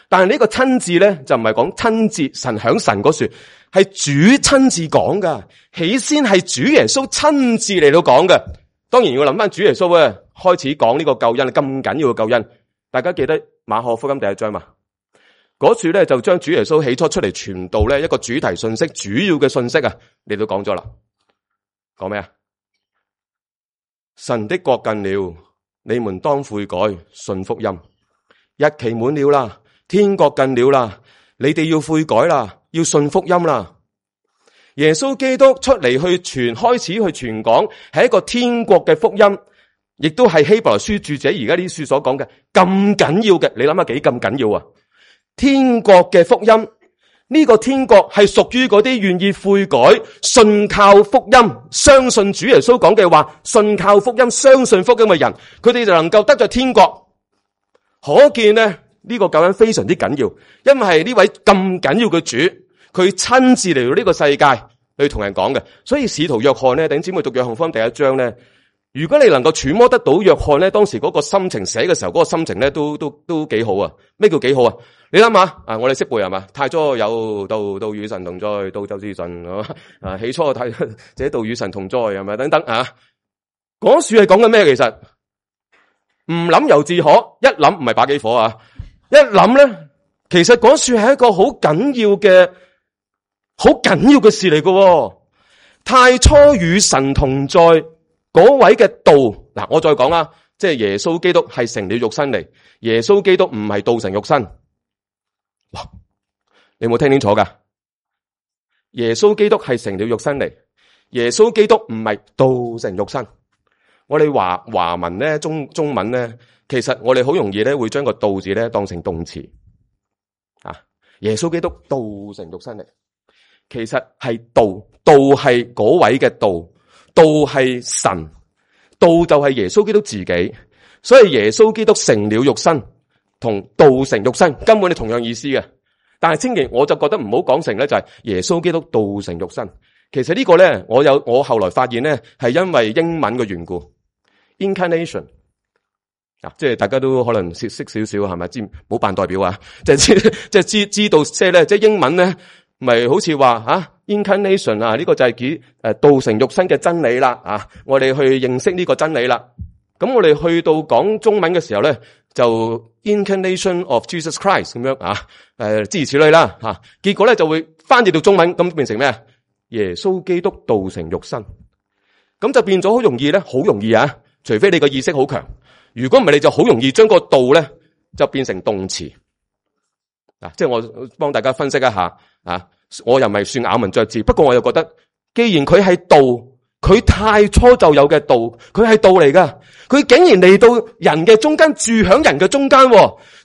但係呢個親自咧就唔係講親自神響神嗰處，係主親自講噶。起先係主耶穌親自嚟到講嘅。當然要諗翻主耶穌咧開始講呢個救恩咁緊要嘅救恩，大家記得馬可福音第一章嘛？嗰處咧就將主耶穌起初出嚟傳道咧一個主題信息，主要嘅信息啊，你都講咗啦。講咩啊？神的國近了，你們當悔改，信福音。日期滿了啦，天國近了啦，你哋要悔改啦，要信福音啦。耶穌基督出嚟去傳，開始去傳講，係一個天國嘅福音，亦都係希伯來書著者而家呢啲書所講嘅咁緊要嘅。你諗下幾咁緊要啊？天國嘅福音。呢個天國係屬於嗰啲願意悔改、信靠福音、相信主耶穌講嘅話、信靠福音、相信福音嘅人，佢哋就能夠得着天國。可見呢，呢個救恩非常之緊要，因為係呢位咁緊要嘅主，佢親自嚟到呢個世界去同人講嘅。所以使徒約翰呢，弟兄姊妹讀約翰福音第一章呢，如果你能夠揣摩得到約翰呢當時嗰個心情寫嘅時候，嗰個心情呢都都都幾好啊。咩叫幾好啊？你諗下啊，我哋識背係嘛？太初有道，道與神同在，道就是神啊。起初太這道與神同在係咪？等等啊，嗰樹係講緊咩？其實唔諗猶自可，一諗唔係把幾火啊！一諗咧，其實嗰樹係一個好緊要嘅、好緊要嘅事嚟嘅。太初與神同在嗰位嘅道，嗱，我再講啦，即係耶穌基督係成了肉身嚟，耶穌基督唔係道成肉身。哇！你有冇聽清楚噶？耶穌基督係成了肉身嚟，耶穌基督唔係道成肉身。我哋華華文咧，中中文咧，其實我哋好容易咧會將個道字咧當成動詞啊。耶穌基督道成肉身嚟，其實係道，道係嗰位嘅道，道係神，道就係耶穌基督自己。所以耶穌基督成了肉身，同道成肉身根本係同樣意思嘅。但係千祈我就覺得唔好講成咧，就係耶穌基督道成肉身。其實呢個咧，我有我後來發現咧，係因為英文嘅緣故。Incarnation 啊，即係大家都可能識識少少係咪？知冇扮代表啊？即係知即係知知道即係咧，即係英文咧，咪好似話啊 Incarnation 啊，呢個就係指誒道成肉身嘅真理啦啊！我哋去認識呢個真理啦。咁我哋去到講中文嘅時候咧，就 Incarnation of Jesus Christ 咁樣啊，誒諸如此類啦吓。結果咧就會翻譯到中文，咁變成咩啊？耶穌基督道成肉身，咁就變咗好容易咧，好容易啊！除非你個意識好強，如果唔係，你就好容易將個道咧就變成動詞啊！即係我幫大家分析一下啊，我又唔係算咬文嚼字，不過我又覺得，既然佢係道，佢太初就有嘅道，佢係道嚟噶，佢竟然嚟到人嘅中間，住響人嘅中間，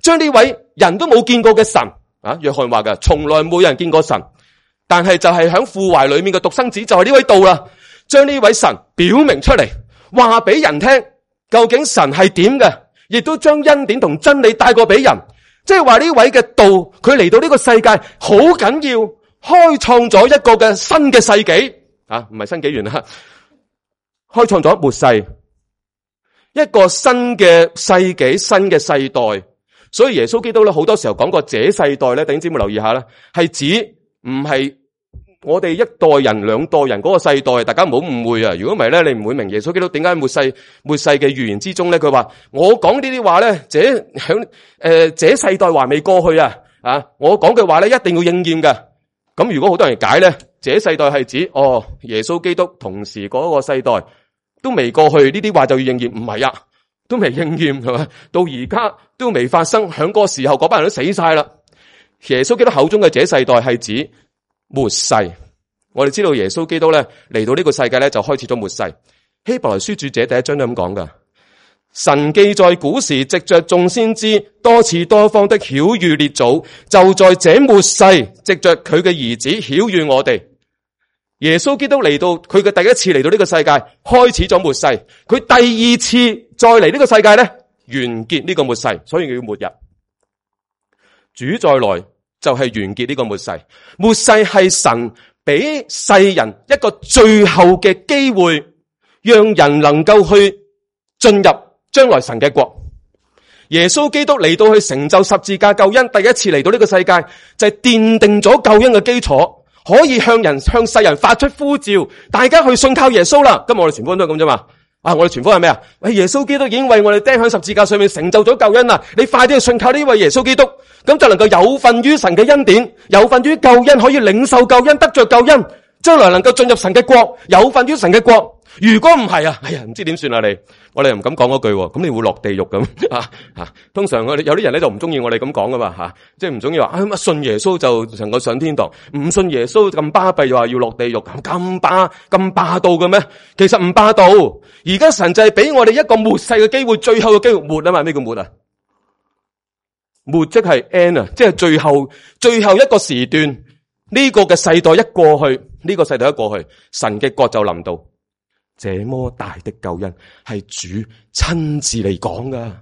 將呢位人都冇見過嘅神啊，約翰話噶，從來冇人見過神，但係就係響父懷裏面嘅獨生子，就係呢位道啦，將呢位神表明出嚟。話俾人聽，究竟神係點嘅，亦都將恩典同真理帶過俾人。即係話呢位嘅道，佢嚟到呢個世界好緊要，開創咗一個嘅新嘅世紀啊，唔係新紀元啦，開創咗末世，一個新嘅世紀，新嘅世代。所以耶穌基督咧，好多時候講過這世代咧，弟兄姊妹留意下啦，係指唔係我哋一代人兩代人嗰個世代，大家唔好誤會啊！如果唔係咧，你唔會明耶穌基督點解末世末世嘅預言之中咧，佢話我講呢啲話咧，這響誒這世代還未過去啊！啊，我講嘅話咧一定要應驗嘅。咁如果好多人解咧，這世代係指哦耶穌基督同時嗰個世代都未過去，呢啲話就要應驗，唔係啊，都未應驗係嘛？到而家都未發生，響嗰個時候嗰班人都死晒啦。耶穌基督口中嘅這世代係指末世。我哋知道耶穌基督咧嚟到呢個世界咧就開始咗末世。希伯來書著者第一章都咁講噶，神既在古時藉着眾先知多次多方的曉諭列祖，就在這末世藉着佢嘅兒子曉諭我哋。耶穌基督嚟到佢嘅第一次嚟到呢個世界，開始咗末世。佢第二次再嚟呢個世界咧，完結呢個末世，所以叫末日。主再來就係完結呢個末世。末世係神俾世人一個最後嘅機會，讓人能夠去進入將來神嘅國。耶穌基督嚟到去成就十字架救恩，第一次嚟到呢個世界就係奠定咗救恩嘅基礎，可以向人向世人發出呼召，大家去信靠耶穌啦。今日我哋全部都係咁啫嘛。啊，我哋傳福音係咩啊？喂，耶穌基督已經為我哋釘喺十字架上面成就咗救恩啦！你快啲去信靠呢位耶穌基督，咁就能夠有份於神嘅恩典，有份於救恩，可以領受救恩，得着救恩，將來能夠進入神嘅國，有份於神嘅國。如果唔係啊，哎呀，唔知點算啊你，我哋又唔敢講嗰句，咁你會落地獄咁啊啊！通常我哋有啲人咧就唔中意我哋咁講噶嘛吓，即係唔中意話啊乜信耶穌就能夠上天堂，唔信耶穌咁巴閉又話要落地獄，咁霸咁霸道嘅咩？其實唔霸道，而家神就係俾我哋一個末世嘅機會，最後嘅機會末啊嘛，咩叫末啊？末即係 end 啊，即係最後最後一個時段，呢個嘅世代一過去，呢個世代一過去，神嘅國就臨到。這麼大的救恩係主親自嚟講噶，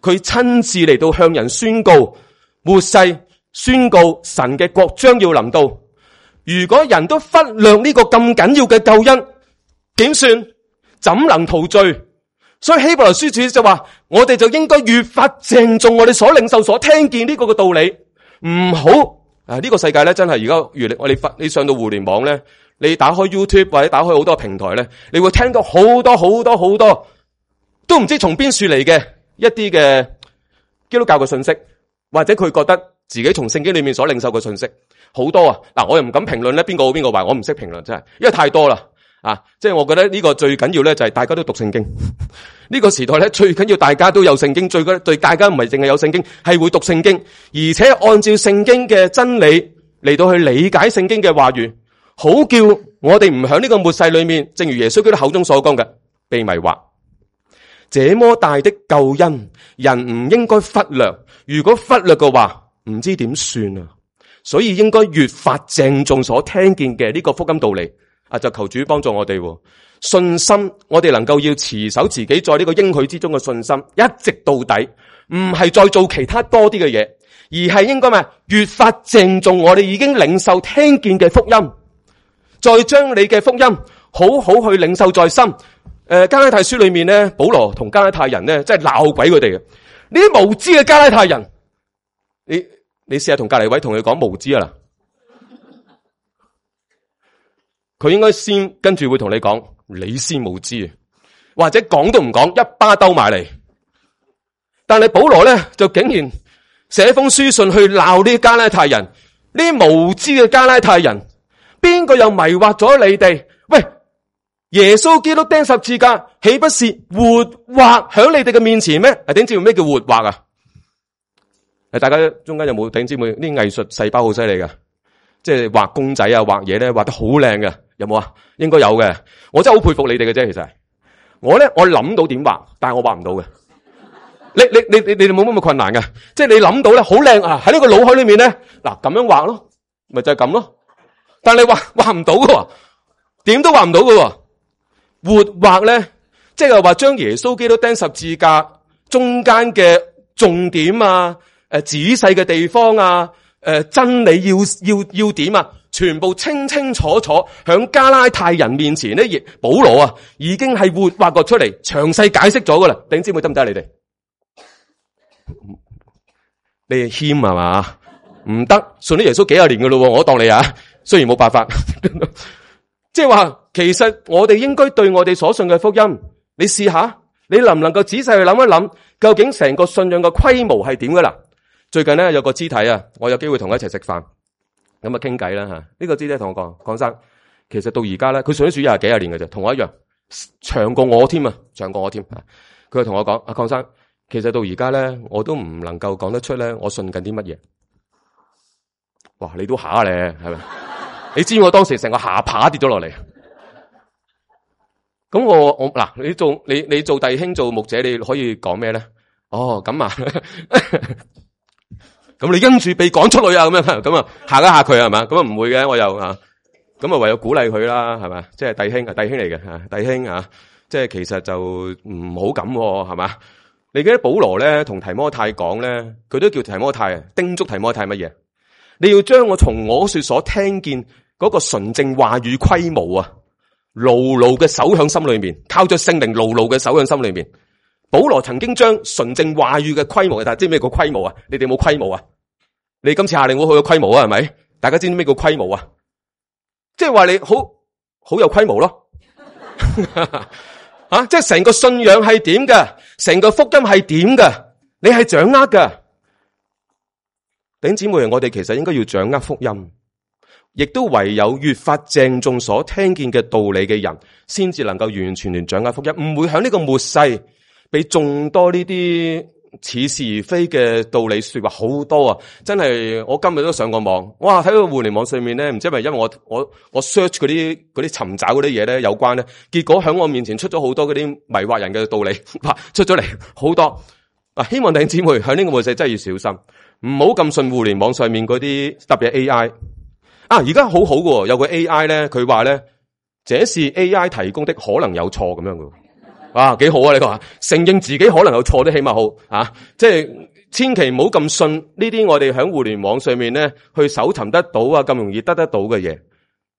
佢親自嚟到向人宣告末世，宣告神嘅國將要臨到。如果人都忽略呢個咁緊要嘅救恩，點算？怎能逃罪？所以希伯來書主就話，我哋就應該越發鄭重我哋所領受、所聽見呢個嘅道理，唔好啊！呢、這個世界咧真係而家越嚟，我哋發你上到互聯網咧。你打開 YouTube 或者打開好多平台咧，你會聽到好多好多好多都唔知從邊處嚟嘅一啲嘅基督教嘅信息，或者佢覺得自己從聖經裏面所領受嘅信息好多啊！嗱，我又唔敢評論咧邊個好邊個壞，我唔識評論真係，因為太多啦啊！即係我覺得呢個最緊要咧就係大家都讀聖經。呢個時代咧最緊要大家都有聖經，最緊對大家唔係淨係有聖經，係會讀聖經，而且按照聖經嘅真理嚟到去理解聖經嘅話語。好叫我哋唔響呢個末世裏面，正如耶穌基督口中所講嘅，被迷惑。這麼大的救恩，人唔應該忽略。如果忽略嘅話，唔知點算啊！所以應該越發鄭重所聽見嘅呢個福音道理。啊，就求主幫助我哋信心，我哋能夠要持守自己在呢個應許之中嘅信心，一直到底，唔係再做其他多啲嘅嘢，而係應該咩？越發鄭重我哋已經領受聽見嘅福音，再將你嘅福音好好去領受在心。誒、呃，加拉太書裏面咧，保羅同加拉太人咧，真係鬧鬼佢哋嘅。呢啲無知嘅加拉太人，你你試下同隔籬位同佢講無知啊啦！佢應該先跟住會同你講，你先無知，或者講都唔講，一巴兜埋嚟。但係保羅咧就竟然寫封書信去鬧呢啲加拉太人，呢啲無知嘅加拉太人，邊個又迷惑咗你哋？喂，耶穌基督釘十字架，豈不是活畫響你哋嘅面前咩？啊，弟兄姊妹，咩叫活畫啊？誒，大家中間有冇弟兄姊妹呢？藝術細胞好犀利噶，即係畫公仔啊，畫嘢咧畫得好靚嘅。有冇啊？應該有嘅。我真係好佩服你哋嘅啫。其實我咧，我諗到點畫，但係我畫唔到嘅。你你你你你哋冇乜咁困難嘅，即係你諗到咧好靚啊！喺呢個腦海裏面咧，嗱咁樣畫咯，咪就係咁咯。但係你畫畫唔到嘅，點都畫唔到嘅。活畫咧，即係話將耶穌基督釘十字架中間嘅重點啊，誒仔細嘅地方啊，誒真理要要要點啊？全部清清楚楚響加拉太人面前咧，亦保羅啊已經係活畫過出嚟，詳細解釋咗噶啦。弟兄姊妹得唔得？你哋你哋謙係嘛？唔得，信咗耶穌幾廿年噶咯，我當你啊，雖然冇辦法，即係話其實我哋應該對我哋所信嘅福音，你試下，你能唔能夠仔細去諗一諗，究竟成個信仰嘅規模係點噶啦？最近咧有個肢體啊，我有機會同佢一齊食飯。咁啊傾偈啦吓，呢個肢體同我講，鄺生，其實到而家咧，佢信咗主廿幾廿年嘅啫，同我一樣，長過我添啊，長過我添。佢同我講，阿鄺生，其實到而家咧，我都唔能夠講得出咧，我信緊啲乜嘢。哇，你都下咧，係咪？你知我當時成個下巴跌咗落嚟。咁我我嗱，你做你你做弟兄做牧者，你可以講咩咧？哦，咁啊。咁你因住被趕出去啊，咁樣咁啊嚇一嚇佢係嘛？咁啊唔會嘅，我又啊咁啊唯有鼓勵佢啦，係嘛？即係弟兄啊，弟兄嚟嘅吓，弟兄啊，即係其實就唔好咁係嘛？你記得保羅咧同提摩太講咧，佢都叫提摩太啊，叮囑提摩太乜嘢？你要將我從我說所聽見嗰個純正話語規模啊，牢牢嘅守響心裏面，靠着聖靈牢牢嘅守響心裏面。保羅曾經將純正話語嘅規模，但係知咩叫規模啊？你哋冇規模啊？你今次下令會去個規模啊？係咪？大家知唔知咩叫規模啊？即係話你好好有規模咯，啊！即係成個信仰係點嘅，成個福音係點嘅，你係掌握嘅。弟兄姊妹，我哋其實應該要掌握福音，亦都唯有越發鄭重所聽見嘅道理嘅人，先至能夠完完全全掌握福音，唔會喺呢個末世。俾眾多呢啲似是而非嘅道理說話好多啊！真係我今日都上過網，哇！睇到互聯網上面咧，唔知係咪因為我我我 search 嗰啲嗰啲尋找嗰啲嘢咧有關咧，結果喺我面前出咗好多嗰啲迷惑人嘅道理，出咗嚟好多。啊！希望弟兄姊妹喺呢個末世真係要小心，唔好咁信互聯網上面嗰啲特別 A I 啊！而家好好嘅，有個 A I 咧，佢話咧，這是 A I 提供的，可能有錯咁樣嘅。啊，幾好啊！你話承認自己可能有錯都起碼好啊，即係千祈唔好咁信呢啲我哋喺互聯網上面咧去搜尋得到啊，咁容易得得到嘅嘢。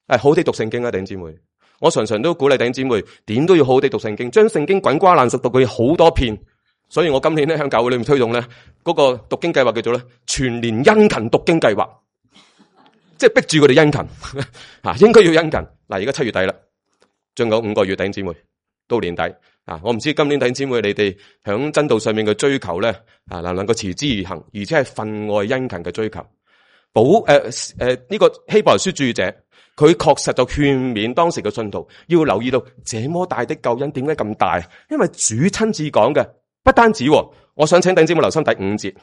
誒，好啲讀聖經啊，弟兄姊妹，我常常都鼓勵弟兄姊妹，點都要好啲讀聖經，將聖經滾瓜爛熟讀佢好多遍。所以我今年咧喺教會裏面推動咧嗰個讀經計劃叫做咧全年殷勤讀經計劃，即係逼住佢哋殷勤啊，應該要殷勤。嗱，而家七月底啦，仲有五個月，弟兄姊妹到年底。啊！我唔知今年弟兄姊妹你哋響真道上面嘅追求咧，啊能唔能夠持之以恆，而且係分外殷勤嘅追求。保誒誒呢個希伯來書著者，佢確實就勸勉當時嘅信徒要留意到，這麼大的救恩點解咁大？因為主親自講嘅，不單止。我想請弟兄姊妹留心第五節，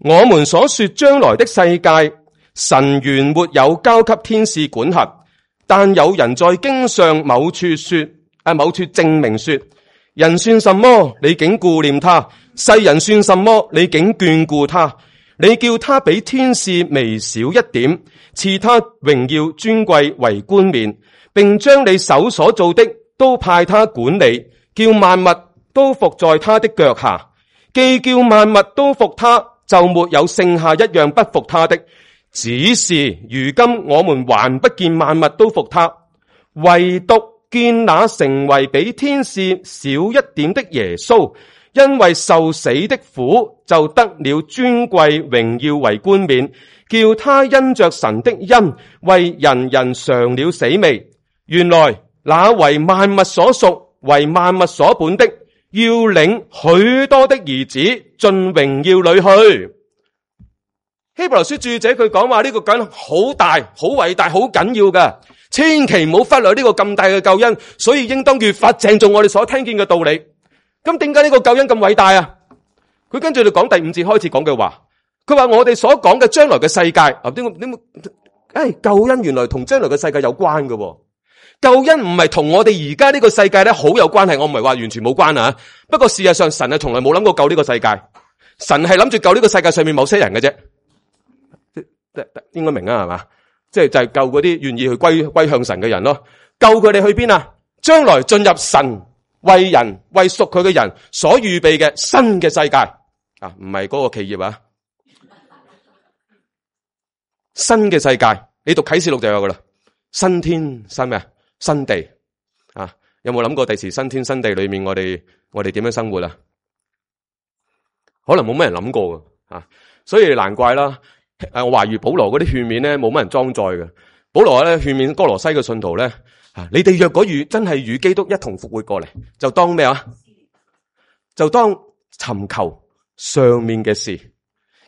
我們所說將來的世界，神原沒有交給天使管轄，但有人在經上某處說，啊，某處證明說，人算什麼？你竟顧念他；世人算什麼？你竟眷顧他。你叫他比天使微小一點，賜他榮耀尊貴為冠冕，並將你手所做的都派他管理，叫萬物都服在他的腳下。既叫萬物都服他，就沒有剩下一樣不服他的。只是如今我們還不見萬物都服他，唯獨見那成為比天使小一點的耶穌，因為受死的苦，就得了尊貴榮耀為冠冕，叫他因着神的恩，為人人嘗了死味。原來那為萬物所屬，為萬物所本的，要領許多的兒子進榮耀裏去。希伯來書著者佢講話呢個緊好大、好偉大、好緊要嘅，千祈唔好忽略呢個咁大嘅救恩，所以應當越發鄭重我哋所聽見嘅道理。咁點解呢個救恩咁偉大啊？佢跟住就講第五節開始講嘅話，佢話我哋所講嘅將來嘅世界，啊點點誒救恩原來同將來嘅世界有關嘅，救恩唔係同我哋而家呢個世界咧好有關係，我唔係話完全冇關啊。不過事實上神係從來冇諗過救呢個世界，神係諗住救呢個世界上面某些人嘅啫，應該明啊係嘛？即係就係救嗰啲願意去歸歸向神嘅人咯，救佢哋去邊啊？將來進入神為人為屬佢嘅人所預備嘅新嘅世界啊，唔係嗰個企業啊，新嘅世界，你讀啟示錄就有噶啦，新天新咩啊？新地啊，有冇諗過第時新天新地裏面我哋我哋點樣生活啊？可能冇乜人諗過噶啊，所以難怪啦。誒，我懷疑保羅嗰啲勸勉咧冇乜人裝載嘅。保羅咧勸勉哥羅西嘅信徒咧。啊！你哋若果與真係與基督一同復活過嚟，就當咩啊？就當尋求上面嘅事，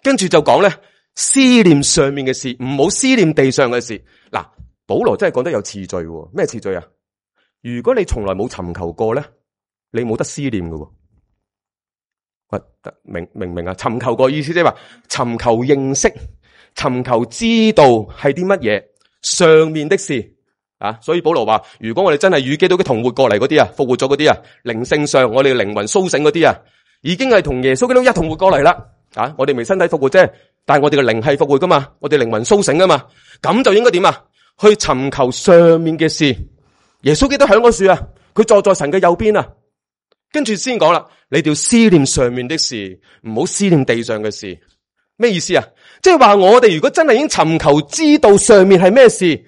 跟住就講咧思念上面嘅事，唔好思念地上嘅事。嗱，保羅真係講得有次序，咩次序啊？如果你從來冇尋求過咧，你冇得思念嘅。喂，明明唔明啊？尋求過意思即係話尋求認識、尋求知道係啲乜嘢上面的事。啊，所以保羅話，如果我哋真係與基督嘅同活過嚟嗰啲啊，復活咗嗰啲啊，靈性上我哋靈魂甦醒嗰啲啊，已經係同耶穌基督一同活過嚟啦。啊，我哋未身體復活啫，但係我哋嘅靈係復活噶嘛，我哋靈魂甦醒啊嘛，咁就應該點啊？去尋求上面嘅事。耶穌基督響嗰樹啊，佢坐在神嘅右邊啊，跟住先講啦，你哋要思念上面的事，唔好思念地上嘅事。咩意思啊？即係話我哋如果真係已經尋求知道上面係咩事，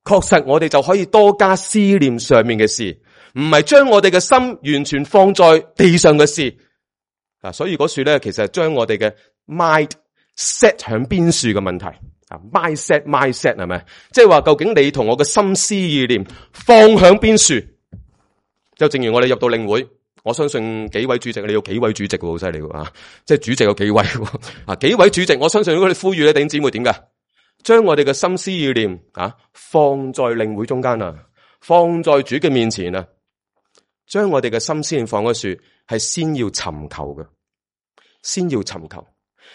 確實我哋就可以多加思念上面嘅事，唔係將我哋嘅心完全放在地上嘅事啊。所以嗰樹咧，其實係將我哋嘅 mind set 響邊樹嘅問題啊。mind set mind set 係咪？即係話究竟你同我嘅心思意念放響邊樹？就正如我哋入到領會，我相信幾位主席，你有幾位主席喎，好犀利啊！即係主席有幾位啊？幾位主席，我相信如果你呼籲咧，弟兄姊妹點噶？將我哋嘅心思意念啊，放在領會中間啊，放在主嘅面前啊，將我哋嘅心思念放喺樹，係先要尋求嘅，先要尋求。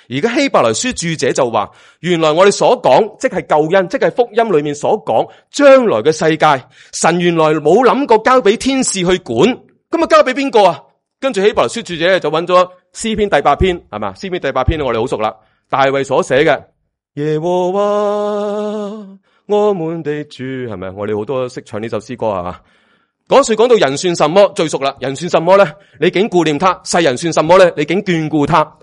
而家希伯來書著者就話，原來我哋所講，即係救恩，即係福音裏面所講將來嘅世界，神原來冇諗過交俾天使去管，咁啊交俾邊個啊？跟住希伯來書著者就揾咗詩篇第八篇，係嘛？詩篇第八篇我哋好熟啦，大衛所寫嘅。耶和華我們的主，係咪？我哋好多識唱呢首詩歌係嘛？嗰時講到人算什麼，最熟啦。人算什麼咧？你竟顧念他；世人算什麼咧？你竟眷顧他。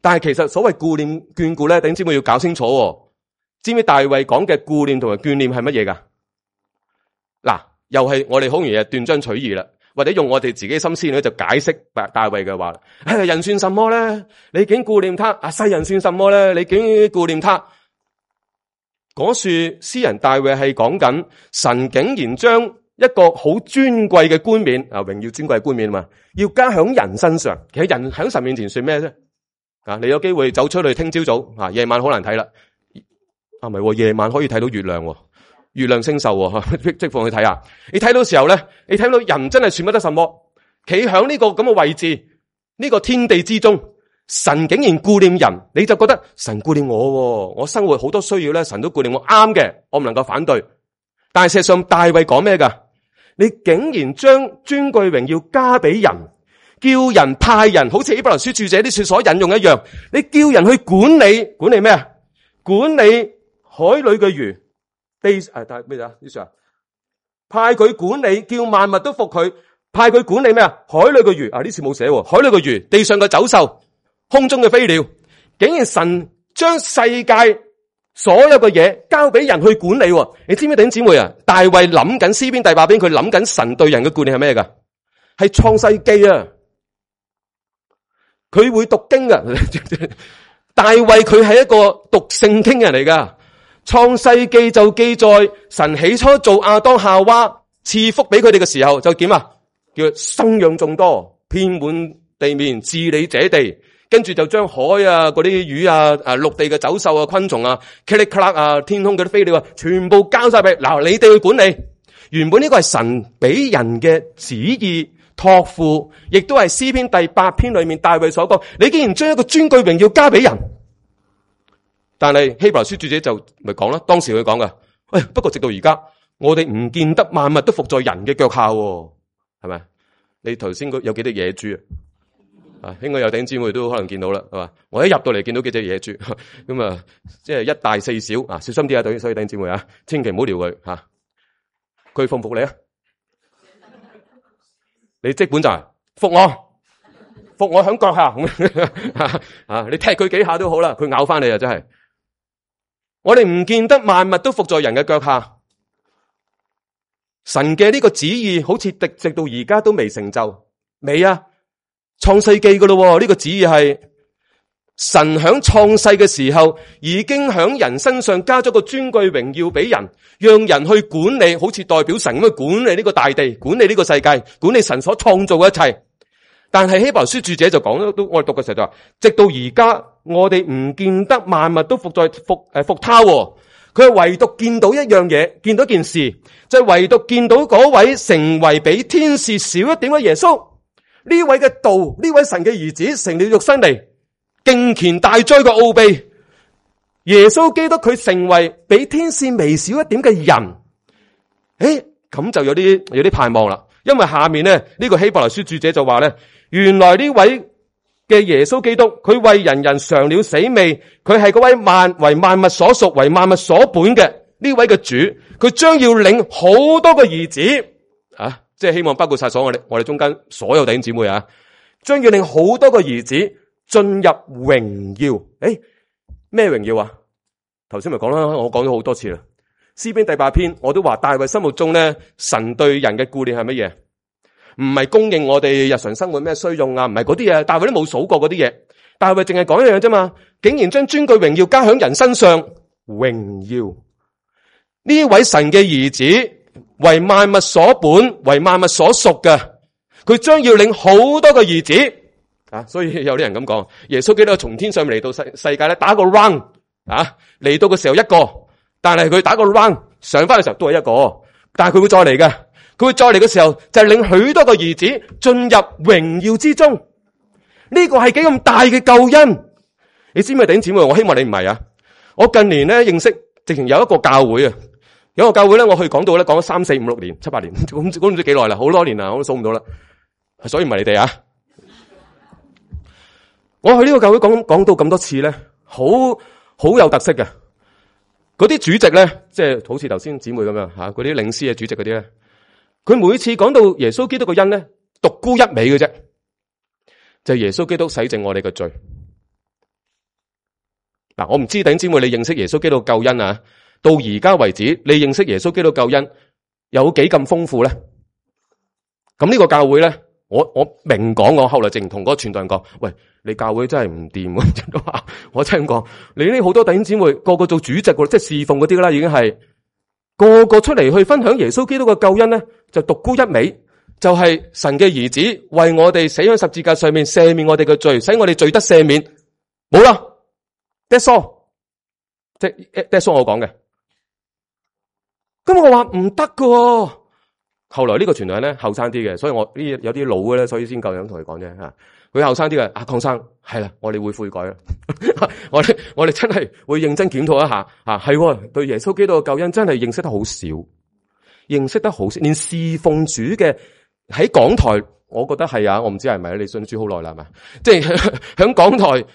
但係其實所謂顧念眷顧咧，弟兄姊妹要搞清楚。知唔知大衛講嘅顧念同埋眷念係乜嘢噶？嗱，又係我哋好容易係斷章取義啦。或者用我哋自己心思咧，就解釋大衛嘅話，哎，人算什麼咧？你竟顧念他；啊，世人算什麼咧？你竟顧念他。嗰處詩人大衛係講緊神竟然將一個好尊貴嘅冠冕啊，榮耀尊貴嘅冠冕嘛，要加響人身上。其實人喺神面前算咩啫？啊，你有機會走出去聽朝早啊，夜晚好難睇啦。啊，唔係，夜晚可以睇到月亮。月亮星宿，即放去睇下。你睇到時候咧，你睇到人真係算不得什麼，企響呢個咁嘅位置，呢個天地之中，神竟然顧念人，你就覺得神顧念我，我生活好多需要咧，神都顧念我，啱嘅，我唔能夠反對。但係事實上大衛講咩噶？你竟然將尊貴榮耀加俾人，叫人派人，好似希伯來書著者啲書所引用一樣，你叫人去管理，管理咩啊？管理海裏嘅魚，地誒，但係咩啊？呢書啊，派佢管理，叫萬物都服佢，派佢管理咩啊？海裏嘅魚啊，呢次冇寫，海裏嘅魚，地上嘅走獸，空中嘅飛鳥，竟然神將世界所有嘅嘢交俾人去管理。你知唔知弟兄姊妹啊？大衛諗緊詩篇第八篇，佢諗緊神對人嘅管理係咩噶？係創世記啊！佢會讀經噶。大衛佢係一個讀聖經嘅人嚟噶。創世記就記載神起初做亞當夏娃，賜福俾佢哋嘅時候就點啊？叫生養眾多，遍滿地面，治理這地。跟住就將海啊、嗰啲魚啊、啊陸地嘅走獸啊、昆蟲啊、噼里咔啦啊、天空嗰啲飛鳥啊，全部交晒俾嗱你哋去管理。原本呢個係神俾人嘅旨意託付，亦都係詩篇第八篇裏面大衛所講。你竟然將一個尊貴榮耀交俾人，但係希伯來書作者就咪講啦，當時佢講噶，喂，不過直到而家，我哋唔見得萬物都服在人嘅腳下，係咪？你頭先有幾隻野豬啊？啊，應該有弟兄姊妹都可能見到啦，係嘛？我一入到嚟見到幾隻野豬，咁啊，即係一大四小啊，小心啲啊，對，所以弟兄姊妹啊，千祈唔好撩佢吓。佢服唔服你啊？你即本就係服我，服我響腳下啊！你踢佢幾下都好啦，佢咬翻你啊！真係，我哋唔見得萬物都服在人嘅腳下。神嘅呢個旨意好似直直到而家都未成就，未啊？創世記噶咯，呢個旨意係神響創世嘅時候已經響人身上加咗個尊貴榮耀俾人，讓人去管理，好似代表神咁去管理呢個大地，管理呢個世界，管理神所創造嘅一切。但係希伯來書著者就講，都我哋讀嘅時候就話，直到而家我哋唔見得萬物都服在服誒服他，佢係唯獨見到一樣嘢，見到一件事，就係唯獨見到嗰位成為比天使少一點嘅耶穌。呢位嘅道，呢位神嘅兒子成了肉身嚟，敬虔大哉嘅奧秘。耶穌基督佢成為比天使微小一點嘅人，誒，咁就有啲有啲盼望啦。因為下面咧呢、這個希伯來書著者就話咧，原來呢位嘅耶穌基督，佢為人人嘗了死味，佢係嗰位萬為萬物所屬、為萬物所本嘅呢位嘅主，佢將要領好多個兒子啊！即係希望包括晒所有我哋我哋中間所有弟兄姊妹啊，將要令好多個兒子進入榮耀。誒，咩榮耀啊？頭先咪講啦，我講咗好多次啦。詩篇第八篇我都話，大衛心目中咧，神對人嘅顧念係乜嘢？唔係供應我哋日常生活咩需用啊，唔係嗰啲嘢，大衛都冇數過嗰啲嘢。大衛淨係講一樣啫嘛，竟然將尊貴榮耀加喺人身上，榮耀呢位神嘅兒子。為萬物所本，為萬物所屬嘅，佢將要領好多個兒子啊！所以有啲人咁講，耶穌基督從天上面嚟到世世界咧，打個 round 啊，嚟到嘅時候一個，但係佢打個 round 上翻嘅時候都係一個，但係佢會再嚟嘅，佢會再嚟嘅時候就係領許多個兒子進入榮耀之中。呢個係幾咁大嘅救恩，你知唔知弟兄姊妹？我希望你唔係啊！我近年咧認識，直情有一個教會啊。有個教會咧，我去講到咧，講咗三四五六年、七八年，咁咁唔知幾耐啦，好多年啦，我都數唔到啦。所以唔係你哋啊！我去呢個教會講講到咁多次咧，好好有特色嘅。嗰啲主席咧，即係好似頭先姊妹咁樣吓，嗰啲領詩嘅主席嗰啲咧，佢每次講到耶穌基督嘅恩咧，獨沽一味嘅啫，就係耶穌基督洗淨我哋嘅罪。嗱，我唔知弟兄姊妹你認識耶穌基督救恩啊？到而家為止，你認識耶穌基督救恩有幾咁豐富咧？咁呢個教會咧，我我明講，我後來淨同嗰個傳道人講，喂，你教會真係唔掂，我真係咁講，你呢好多弟兄姊妹個個做主席，即係侍奉嗰啲啦，已經係個個出嚟去分享耶穌基督嘅救恩咧，就獨沽一味，就係、是、神嘅兒子為我哋死喺十字架上面赦免我哋嘅罪，使我哋罪得赦免，冇啦 ，that's all， 即係 that's all 我講嘅。咁我話唔得噶，後來呢個傳道人咧後生啲嘅，所以我呢有啲老嘅咧，所以先夠膽同佢講啫吓。佢後生啲嘅，阿鄺生係啦，我哋會悔改啦，我哋我哋真係會認真檢討一下啊，係對耶穌基督嘅救恩真係認識得好少，認識得好少，連侍奉主嘅喺講台，我覺得係啊，我唔知係咪你信主好耐啦，係咪？即係響講台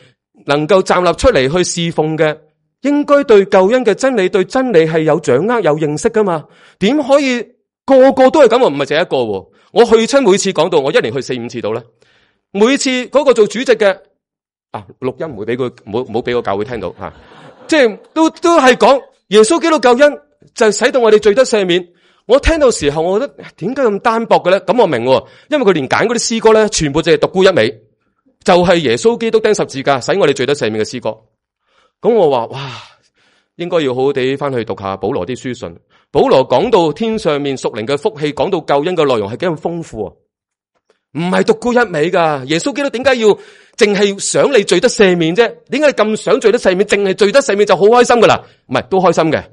能夠站立出嚟去侍奉嘅，應該對救恩嘅真理、對真理係有掌握、有認識噶嘛？點可以個個都係咁啊？唔係淨係一個，我去親每次講道，我一年去四五次到咧。每次嗰個做主席嘅啊，錄音唔會俾佢，唔好唔好俾個教會聽到吓，即係都都係講耶穌基督救恩就係使到我哋罪得赦免。我聽到時候，我覺得點解咁單薄嘅咧？咁我明，因為佢連揀嗰啲詩歌咧，全部淨係獨沽一味，就係耶穌基督釘十字架使我哋罪得赦免嘅詩歌。咁我話哇，應該要好好地翻去讀下保羅啲書信。保羅講到天上面屬靈嘅福氣，講到救恩嘅內容係幾咁豐富啊！唔係獨沽一味噶，耶穌基督點解要淨係想你罪得赦免啫？點解你咁想罪得赦免？淨係罪得赦免就好開心噶啦？唔係，都開心嘅。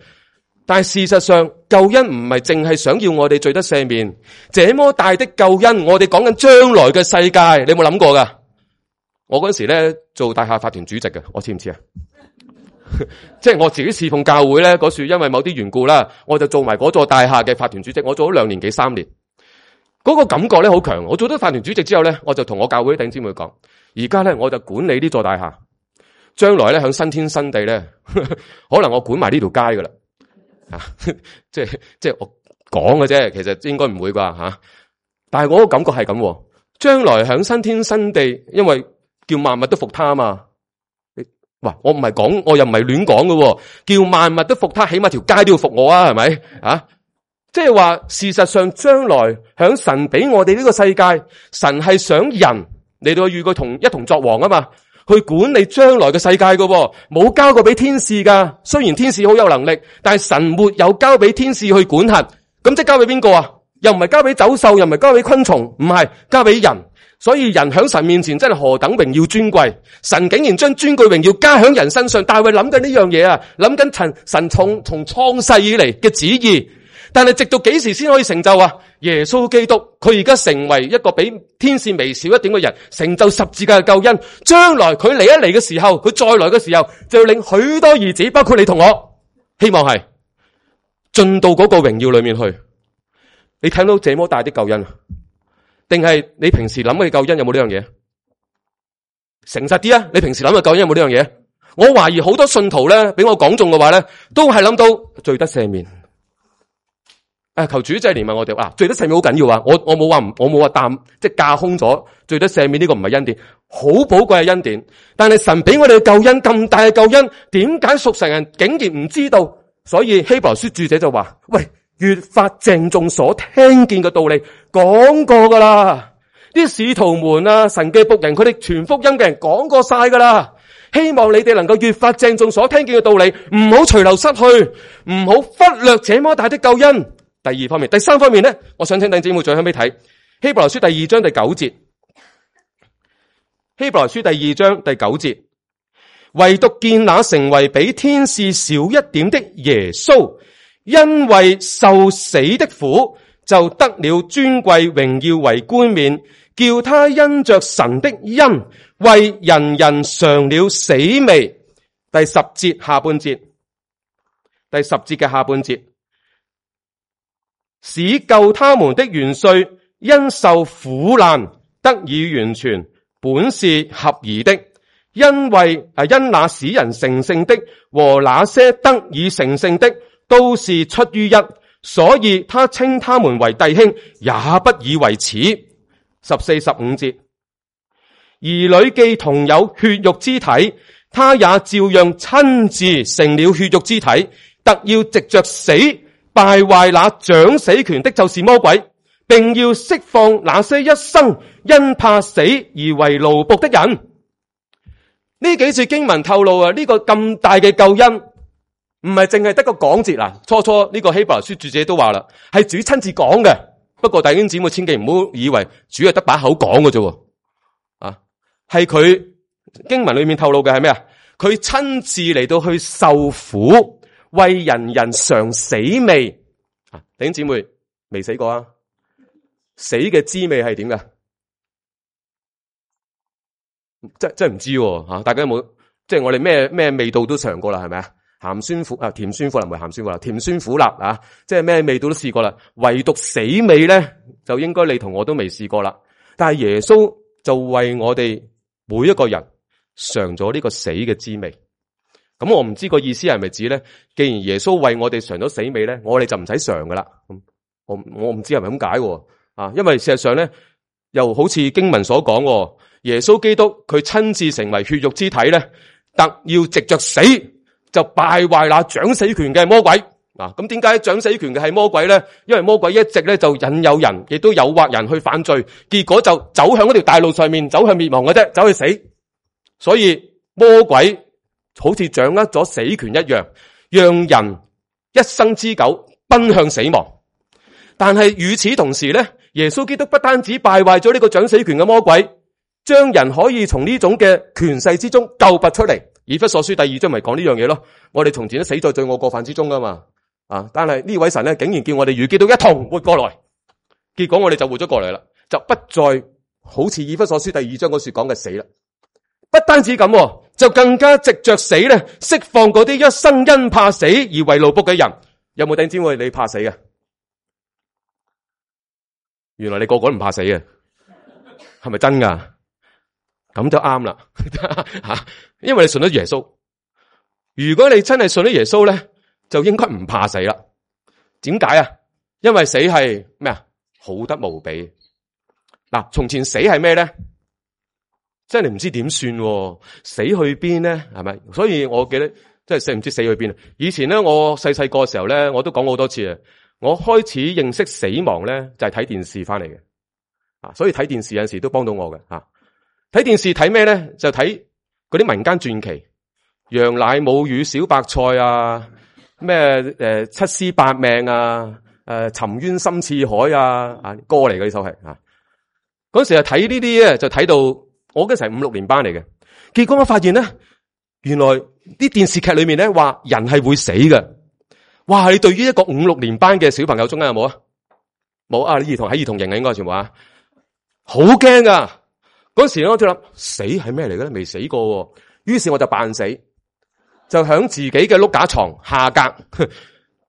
但係事實上，救恩唔係淨係想要我哋罪得赦免，這麼大的救恩，我哋講緊將來嘅世界，你有冇諗過噶？我嗰時咧做大廈法團主席嘅，我知唔知啊？即係我自己侍奉教會咧，嗰時因為某啲緣故啦，我就做埋嗰座大廈嘅法團主席，我做咗兩年幾三年。嗰個感覺咧好強，我做咗法團主席之後咧，我就同我教會弟兄姊妹講，而家咧我就管理呢座大廈，將來咧響新天新地咧，可能我管埋呢條街噶啦，啊，即係即係我講嘅啫，其實應該唔會啩吓，啊，但係我個感覺係咁，將來響新天新地，因為叫萬物都服他啊嘛，哇，我唔係講，我又唔係亂講嘅，叫萬物都服他，起碼條街都要服我啊，係咪啊？即係話，事實上將來響神俾我哋呢個世界，神係想人嚟到與佢同一同作王啊嘛，去管理將來嘅世界噶，冇交過俾天使噶。雖然天使好有能力，但係神沒有交俾天使去管轄，咁即係交俾邊個啊？又唔係交俾走獸，又唔係交俾昆蟲，唔係交俾人。所以人響神面前真係何等榮耀尊貴，神竟然將尊貴榮耀加響人身上。大衛諗緊呢樣嘢啊，諗緊神神從從創世以嚟嘅旨意。但係直到幾時先可以成就啊？耶穌基督佢而家成為一個比天使微小一點嘅人，成就十字架嘅救恩。將來佢嚟一嚟嘅時候，佢再來嘅時候，就要領許多兒子，包括你同我，希望係進到嗰個榮耀裏面去。你睇到這麼大的救恩，定係你平時諗嘅救恩有冇呢樣嘢？誠實啲啊！你平時諗嘅救恩有冇呢樣嘢？我懷疑好多信徒咧，俾我講中嘅話咧，都係諗到罪得赦免。誒，求主真係憐憫我哋啊！罪得赦免好緊要啊！我我冇話唔，我冇話淡，即係架空咗罪得赦免呢個唔係恩典，好寶貴嘅恩典。但係神俾我哋嘅救恩咁大嘅救恩，點解屬神人竟然唔知道？所以希伯來書註者就話：喂，越發鄭重所聽見嘅道理，講過噶啦。啲使徒們啊，神嘅僕人，佢哋傳福音嘅人講過晒噶啦。希望你哋能夠越發鄭重所聽見嘅道理，唔好隨流失去，唔好忽略這麼大的救恩。第二方面，第三方面咧，我想請弟兄姊妹再向尾睇希伯來書第二章第九節。希伯來書第二章第九節，唯獨見那成為比天使小一點的耶穌，因為受死的苦，就得了尊貴榮耀為冠冕，叫他因着神的恩，為人人嘗了死味。第十節下半節，第十節嘅下半節。使救他們的元帥因受苦難得以完全，本是合宜的。因為啊，因那使人成聖的和那些得以成聖的都是出於一，所以他稱他們為弟兄，也不以為恥。十四十五節，兒女既同有血肉之體，他也照樣親自成了血肉之體，特要藉着死敗壞那掌死權的，就是魔鬼，並要釋放那些一生因怕死而為奴僕的人。呢幾次經文透露啊，呢個咁大嘅救恩唔係淨係得個講字啦。初初呢個希伯來書作者都話啦，係主親自講嘅。不過弟兄姊妹千祈唔好以為主係得把口講嘅啫，啊，係佢經文裏面透露嘅係咩啊？佢親自嚟到去受苦。為人人嘗死味，啊，弟兄姊妹未死過啊？死嘅滋味係點㗎？真真唔知喎吓，大家有冇即係我哋咩咩味道都嘗過啦，係咪啊？鹹酸苦啊，甜酸苦辣唔係鹹酸苦辣，甜酸苦辣啊，即係咩味道都試過啦，唯獨死味咧就應該你同我都未試過啦。但係耶穌就為我哋每一個人嘗咗呢個死嘅滋味。咁我唔知個意思係咪指咧？既然耶穌為我哋嘗咗死味咧，我哋就唔使嘗噶啦。咁我我唔知係咪咁解啊？因為事實上咧，又好似經文所講，耶穌基督佢親自成為血肉之體咧，特要藉着死就敗壞那掌死權嘅魔鬼。嗱，咁點解掌死權嘅係魔鬼咧？因為魔鬼一直咧就引誘人，亦都誘惑人去犯罪，結果就走向嗰條大路上面，走向滅亡嘅啫，走去死。所以魔鬼好似掌握咗死權一樣，讓人一生之久奔向死亡。但係與此同時咧，耶穌基督不單止敗壞咗呢個掌死權嘅魔鬼，將人可以從呢種嘅權勢之中救拔出嚟。以弗所書第二章咪講呢樣嘢咯。我哋從前都死在罪惡過犯之中噶嘛，啊！但係呢位神咧，竟然叫我哋與基督一同活過來，結果我哋就活咗過嚟啦，就不再好似以弗所書第二章嗰處講嘅死啦。不單止咁，就更加藉着死咧，釋放嗰啲一生因怕死而為奴僕嘅人。有冇弟兄姊妹你怕死嘅？原來你個個都唔怕死嘅，係咪真噶？咁就啱啦吓，因為你信咗耶穌。如果你真係信咗耶穌咧，就應該唔怕死啦。點解啊？因為死係咩啊？好得無比。嗱，從前死係咩咧？真係唔知點算，死去邊咧？係咪？所以我記得真係死唔知死去邊。以前咧，我細細個嘅時候咧，我都講過好多次啊。我開始認識死亡咧，就係睇電視翻嚟嘅。啊，所以睇電視有陣時都幫到我嘅。吓，睇電視睇咩咧？就睇嗰啲民間傳奇，楊乃武與小白菜啊，咩誒七屍八命啊，誒沉冤深似海啊，啊歌嚟嘅呢首係啊。嗰時啊睇呢啲咧，就睇到。我嗰陣係五六年班嚟嘅，結果我發現咧，原來啲電視劇裏面咧話人係會死嘅。哇！你對於一個五六年班嘅小朋友中間有冇啊？冇啊！兒童喺兒童營啊，應該全部啊，好驚噶。嗰時咧我就諗死係咩嚟嘅咧？未死過，於是我就扮死，就響自己嘅碌架床下格，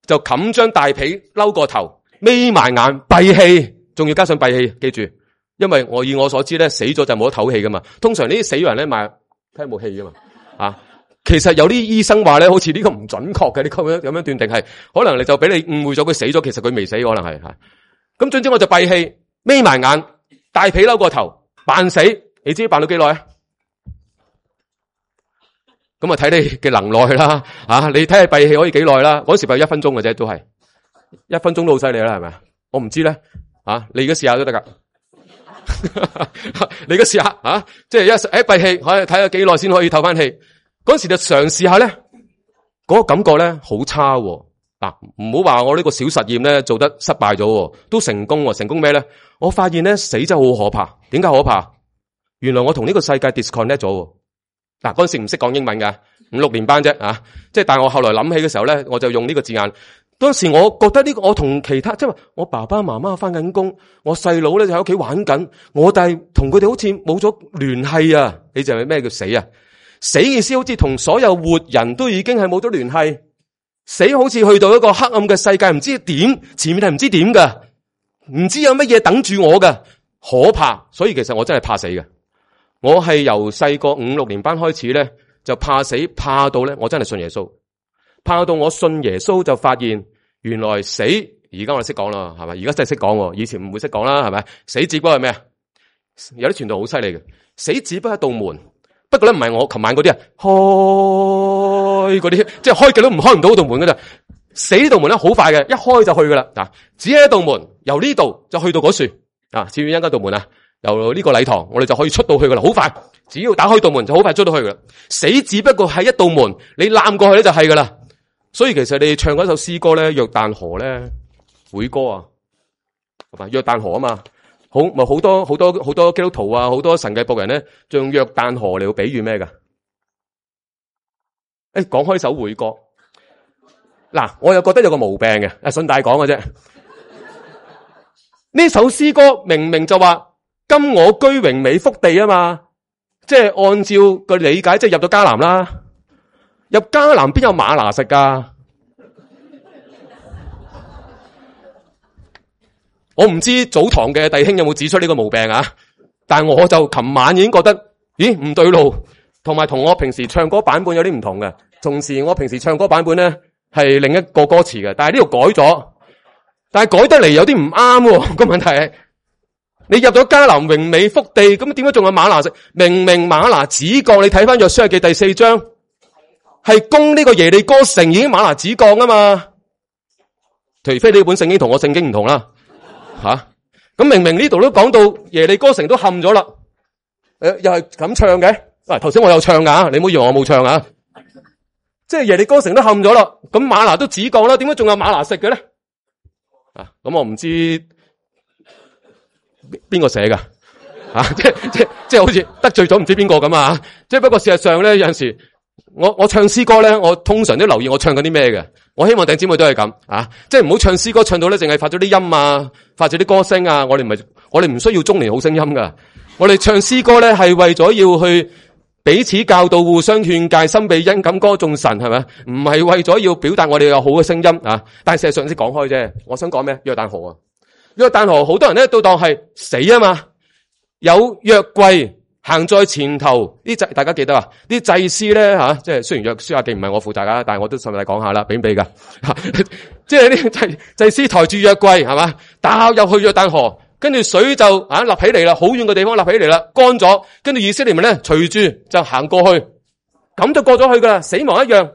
就冚張大被摟過頭，眯埋眼閉氣，仲要加上閉氣，記住。因為我以我所知咧，死咗就冇得唞氣噶嘛。通常呢啲死人咧，咪睇冇氣噶嘛。啊，其實有啲醫生話咧，好似呢個唔準確嘅，呢咁樣咁樣斷定係，可能你就俾你誤會咗佢死咗，其實佢未死，可能係吓。咁總之我就閉氣，眯埋眼，大被摟過頭，扮死。你知扮到幾耐啊？咁啊睇你嘅能耐啦。啊，你睇下閉氣可以幾耐啦？嗰時閉一分鐘嘅啫，都係一分鐘都好犀利啦，係咪？我唔知咧。啊，你而家試下都得噶。你嘅試下啊，即係一誒閉氣，可以睇下幾耐先可以透翻氣。嗰時就嘗試下咧，嗰個感覺咧好差。嗱，唔好話我呢個小實驗咧做得失敗咗，都成功。成功咩咧？我發現咧死真係好可怕。點解可怕？原來我同呢個世界 disconnect 咗。嗱，嗰陣時唔識講英文㗎，五六年班啫啊！即係但係我後來諗起嘅時候咧，我就用呢個字眼。當時我覺得呢個我同其他即係話我爸爸媽媽翻緊工，我細佬咧就喺屋企玩緊，我但係同佢哋好似冇咗聯繫啊！你就係咩叫死啊？死意思好似同所有活人都已經係冇咗聯繫，死好似去到一個黑暗嘅世界，唔知點前面係唔知點噶，唔知有乜嘢等住我噶，可怕！所以其實我真係怕死嘅。我係由細個五六年班開始咧，就怕死，怕到咧我真係信耶穌。怕到我信耶穌就發現原來死，而家我哋識講啦，係咪？而家真係識講，以前唔會識講啦，係咪？死只不過係咩啊？有啲傳道好犀利嘅，死只不過一道門，不過咧唔係我琴晚嗰啲啊，開嗰啲，即係開極都唔開唔到嗰道門噶咋。死呢道門咧好快嘅，一開就去噶啦。嗱，只係一道門，由呢度就去到嗰處啊，至於一間道門啊，由呢個禮堂我哋就可以出到去噶啦，好快，只要打開道門就好快出到去噶啦。死只不過係一道門，你攬過去咧就係噶啦。所以其實你唱嗰首詩歌咧，約旦河咧，會歌啊，係嘛？約旦河啊嘛，好咪好多好多好多基督徒啊，好多神嘅僕人咧，就用約旦河嚟比喻咩噶？誒，講開首會歌，嗱，我又覺得有個毛病嘅，啊，順帶講嘅啫。呢首詩歌明明就話今我居榮美福地啊嘛，即係按照個理解，即係入咗迦南啦。入迦南邊有嗎哪食噶？我唔知早堂嘅弟兄有冇指出呢個毛病啊？但係我就琴晚已經覺得，咦唔對路，同埋同我平時唱歌版本有啲唔同嘅。同時我平時唱歌版本咧係另一個歌詞嘅，但係呢度改咗，但係改得嚟有啲唔啱。個問題係你入咗迦南榮美福地，咁點解仲有嗎哪食？明明嗎哪止降，你睇翻約書亞記第四章，係攻呢個耶利哥城已經嗎哪止降啊嘛。除非呢本聖經同我聖經唔同啦。吓，咁、啊、明明呢度都講到耶利哥城都陷咗啦，誒、呃，又係咁唱嘅。啊，頭先我有唱噶，你唔好以為我冇唱啊。即係耶利哥城都陷咗啦，咁嗎哪都止降啦，點解仲有嗎哪食嘅咧？啊，咁我唔知邊個寫噶，啊，即係即係即係好似得罪咗唔知邊個咁啊。即係不過事實上咧，有陣時我我唱詩歌咧，我通常都留意我唱緊啲咩嘅。我希望弟兄姊妹都係咁啊，即係唔好唱詩歌唱到咧，淨係發咗啲音啊，發咗啲歌聲啊。我哋唔係，我哋唔需要中年好聲音噶。我哋唱詩歌咧係為咗要去彼此教導、互相勸誡、心被恩感歌頌神，係咪？唔係為咗要表達我哋有好嘅聲音啊。但係事實上先講開啫。我想講咩？約旦河啊，約旦河好多人咧都當係死啊嘛。有約櫃行在前頭，啲祭大家記得啊？啲祭司咧吓，即係雖然約書亞記唔係我負責噶，但係我都順帶講下啦，俾唔俾噶？即係啲祭祭司抬住約櫃係嘛，打入去約旦河，跟住水就啊立起嚟啦，好遠嘅地方立起嚟啦，乾咗，跟住以色列民咧隨住就行過去，咁就過咗去噶啦，死亡一樣。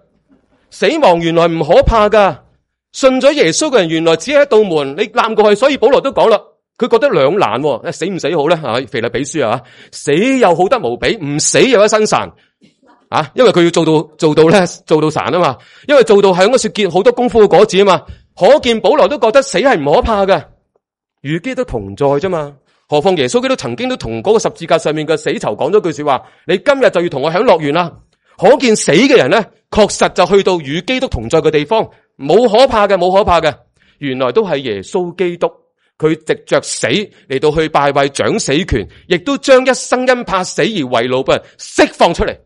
死亡原來唔可怕噶，信咗耶穌嘅人原來只係一道門，你攬過去，所以保羅都講啦。佢覺得兩難，死唔死好咧？啊，腓立比書啊，死又好得無比，唔死又一身潺啊！因為佢要做到做到咧，做到潺啊嘛。因為做到係應該說結好多功夫嘅果子啊嘛。可見保羅都覺得死係唔可怕嘅，與基督同在啫嘛。何況耶穌基督曾經都同嗰個十字架上面嘅死囚講咗句說話：你今日就要同我享樂園啦。可見死嘅人咧，確實就去到與基督同在嘅地方，冇可怕嘅，冇可怕嘅。原來都係耶穌基督。佢藉着死嚟到去敗壞掌死權，亦都將一生因怕死而為奴嘅人釋放出嚟。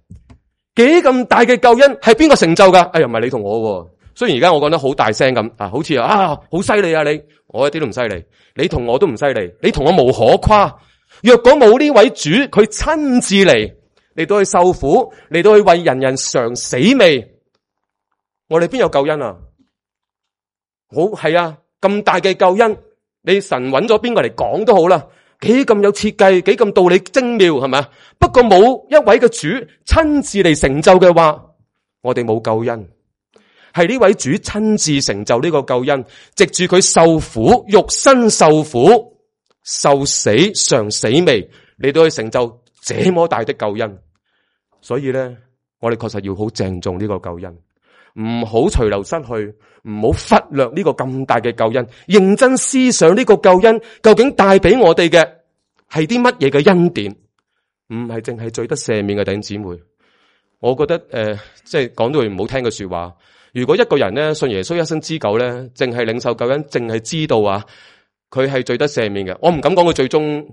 幾咁大嘅救恩係邊個成就噶？哎呀，唔係你同我。雖然而家我講得好大聲咁啊，好似啊好犀利啊你，我一啲都唔犀利。你同我都唔犀利，你同我無可誇。若果冇呢位主，佢親自嚟嚟到去受苦，嚟到去為人人嘗死味，我哋邊有救恩啊？好係啊，咁大嘅救恩。你神揾咗邊個嚟講都好啦，幾咁有設計，幾咁道理精妙，係咪？不過冇一位嘅主親自嚟成就嘅話，我哋冇救恩。係呢位主親自成就呢個救恩，藉住佢受苦，肉身受苦、受死、嘗死味，嚟到去成就這麼大的救恩。所以咧，我哋確實要好鄭重呢個救恩。唔好隨流失去，唔好忽略呢個咁大嘅救恩，認真思想呢個救恩究竟帶俾我哋嘅係啲乜嘢嘅恩典，唔係淨係罪得赦免嘅弟兄姊妹。我覺得誒、呃，即係講到句唔好聽嘅說話，如果一個人咧信耶穌一生之久咧，淨係領受救恩，淨係知道啊，佢係罪得赦免嘅，我唔敢講佢最終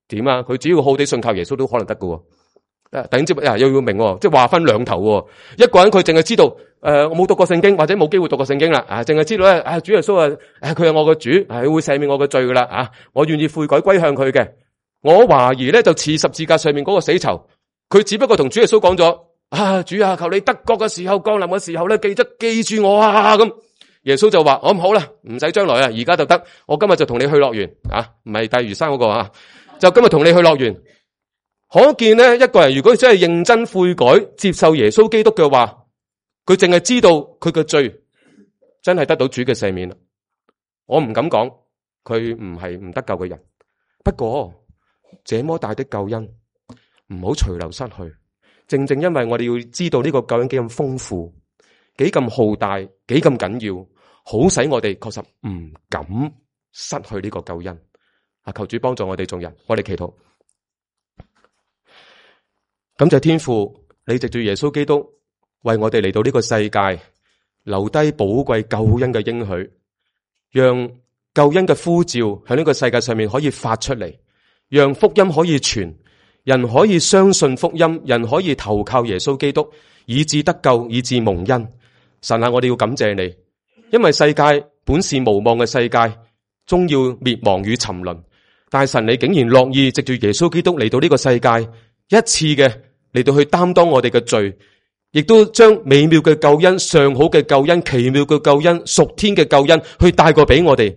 點啊，佢只要好地信靠耶穌都可能得㗎。弟兄姊妹啊，又要明，即係話分兩頭。一個人佢淨係知道，誒、呃，我冇讀過聖經，或者冇機會讀過聖經啦，啊，淨係知道咧，啊，主耶穌啊，誒，佢係我個主，係會赦免我嘅罪噶啦，啊，我願意悔改歸向佢嘅。我懷疑咧，就似十字架上面嗰個死囚，佢只不過同主耶穌講咗，啊，主啊，求你得國嘅時候降臨嘅時候咧，記得記住我啊，咁。耶穌就話：我唔好啦，唔使將來啊，而家就得，我今日就同你去樂園，啊，唔係大嶼山嗰個啊，就今日同你去樂園。可見咧，一個人如果真係認真悔改，接受耶穌基督嘅話，佢淨係知道佢嘅罪真係得到主嘅赦免啦。我唔敢講佢唔係唔得救嘅人，不過這麼大的救恩唔好隨流失去。正正因為我哋要知道呢個救恩幾咁豐富，幾咁浩大，幾咁緊要，好使我哋確實唔敢失去呢個救恩。啊，求主幫助我哋眾人，我哋祈禱。感謝天父，你藉住耶穌基督為我哋嚟到呢個世界，留低寶貴救恩嘅應許，讓救恩嘅呼召喺呢個世界上面可以發出嚟，讓福音可以傳，人可以相信福音，人可以投靠耶穌基督，以致得救，以致蒙恩。神啊，我哋要感謝你，因為世界本是無望嘅世界，終要滅亡與沉淪。但係神你竟然樂意藉住耶穌基督嚟到呢個世界，一次嘅嚟到去擔當我哋嘅罪，亦都將美妙嘅救恩、上好嘅救恩、奇妙嘅救恩、屬天嘅救恩去帶過俾我哋。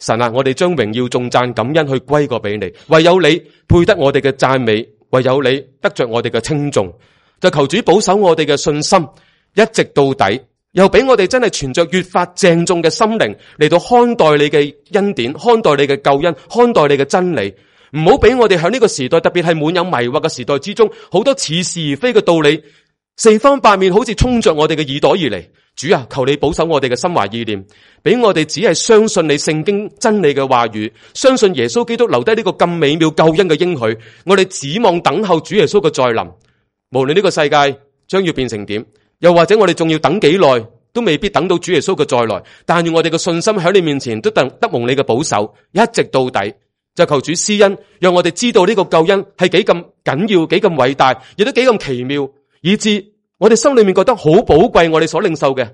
神啊，我哋將榮耀頌讚感恩去歸過俾你，唯有你配得我哋嘅讚美，唯有你得着我哋嘅稱頌。就求主保守我哋嘅信心，一直到底，又俾我哋真係存着越發鄭重嘅心靈嚟到看待你嘅恩典，看待你嘅救恩，看待你嘅真理。唔好俾我哋喺呢個時代，特別係滿有迷惑嘅時代之中，好多似是而非嘅道理四方八面好似衝着我哋嘅耳朵而嚟。主啊，求你保守我哋嘅心懷意念，俾我哋只係相信你聖經真理嘅話語，相信耶穌基督留低呢個咁美妙救恩嘅應許，我哋指望等候主耶穌嘅再臨。無論呢個世界將要變成點，又或者我哋仲要等幾耐，都未必等到主耶穌嘅再來，但願我哋嘅信心喺你面前都得得蒙你嘅保守，一直到底。就求主施恩，讓我哋知道呢個救恩係幾咁緊要，幾咁偉大，亦都幾咁奇妙，以致我哋心裏面覺得好寶貴，我哋所領受嘅。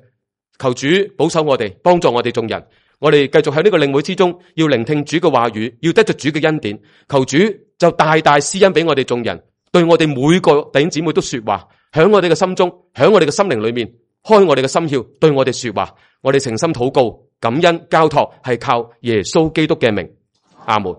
求主保守我哋，幫助我哋眾人。我哋繼續喺呢個領會之中，要聆聽主嘅話語，要得着主嘅恩典。求主就大大施恩俾我哋眾人，對我哋每個弟兄姊妹都說話，響我哋嘅心中，響我哋嘅心靈裏面，開我哋嘅心竅，對我哋說話。我哋誠心禱告，感恩交託，係靠耶穌基督嘅名。阿門。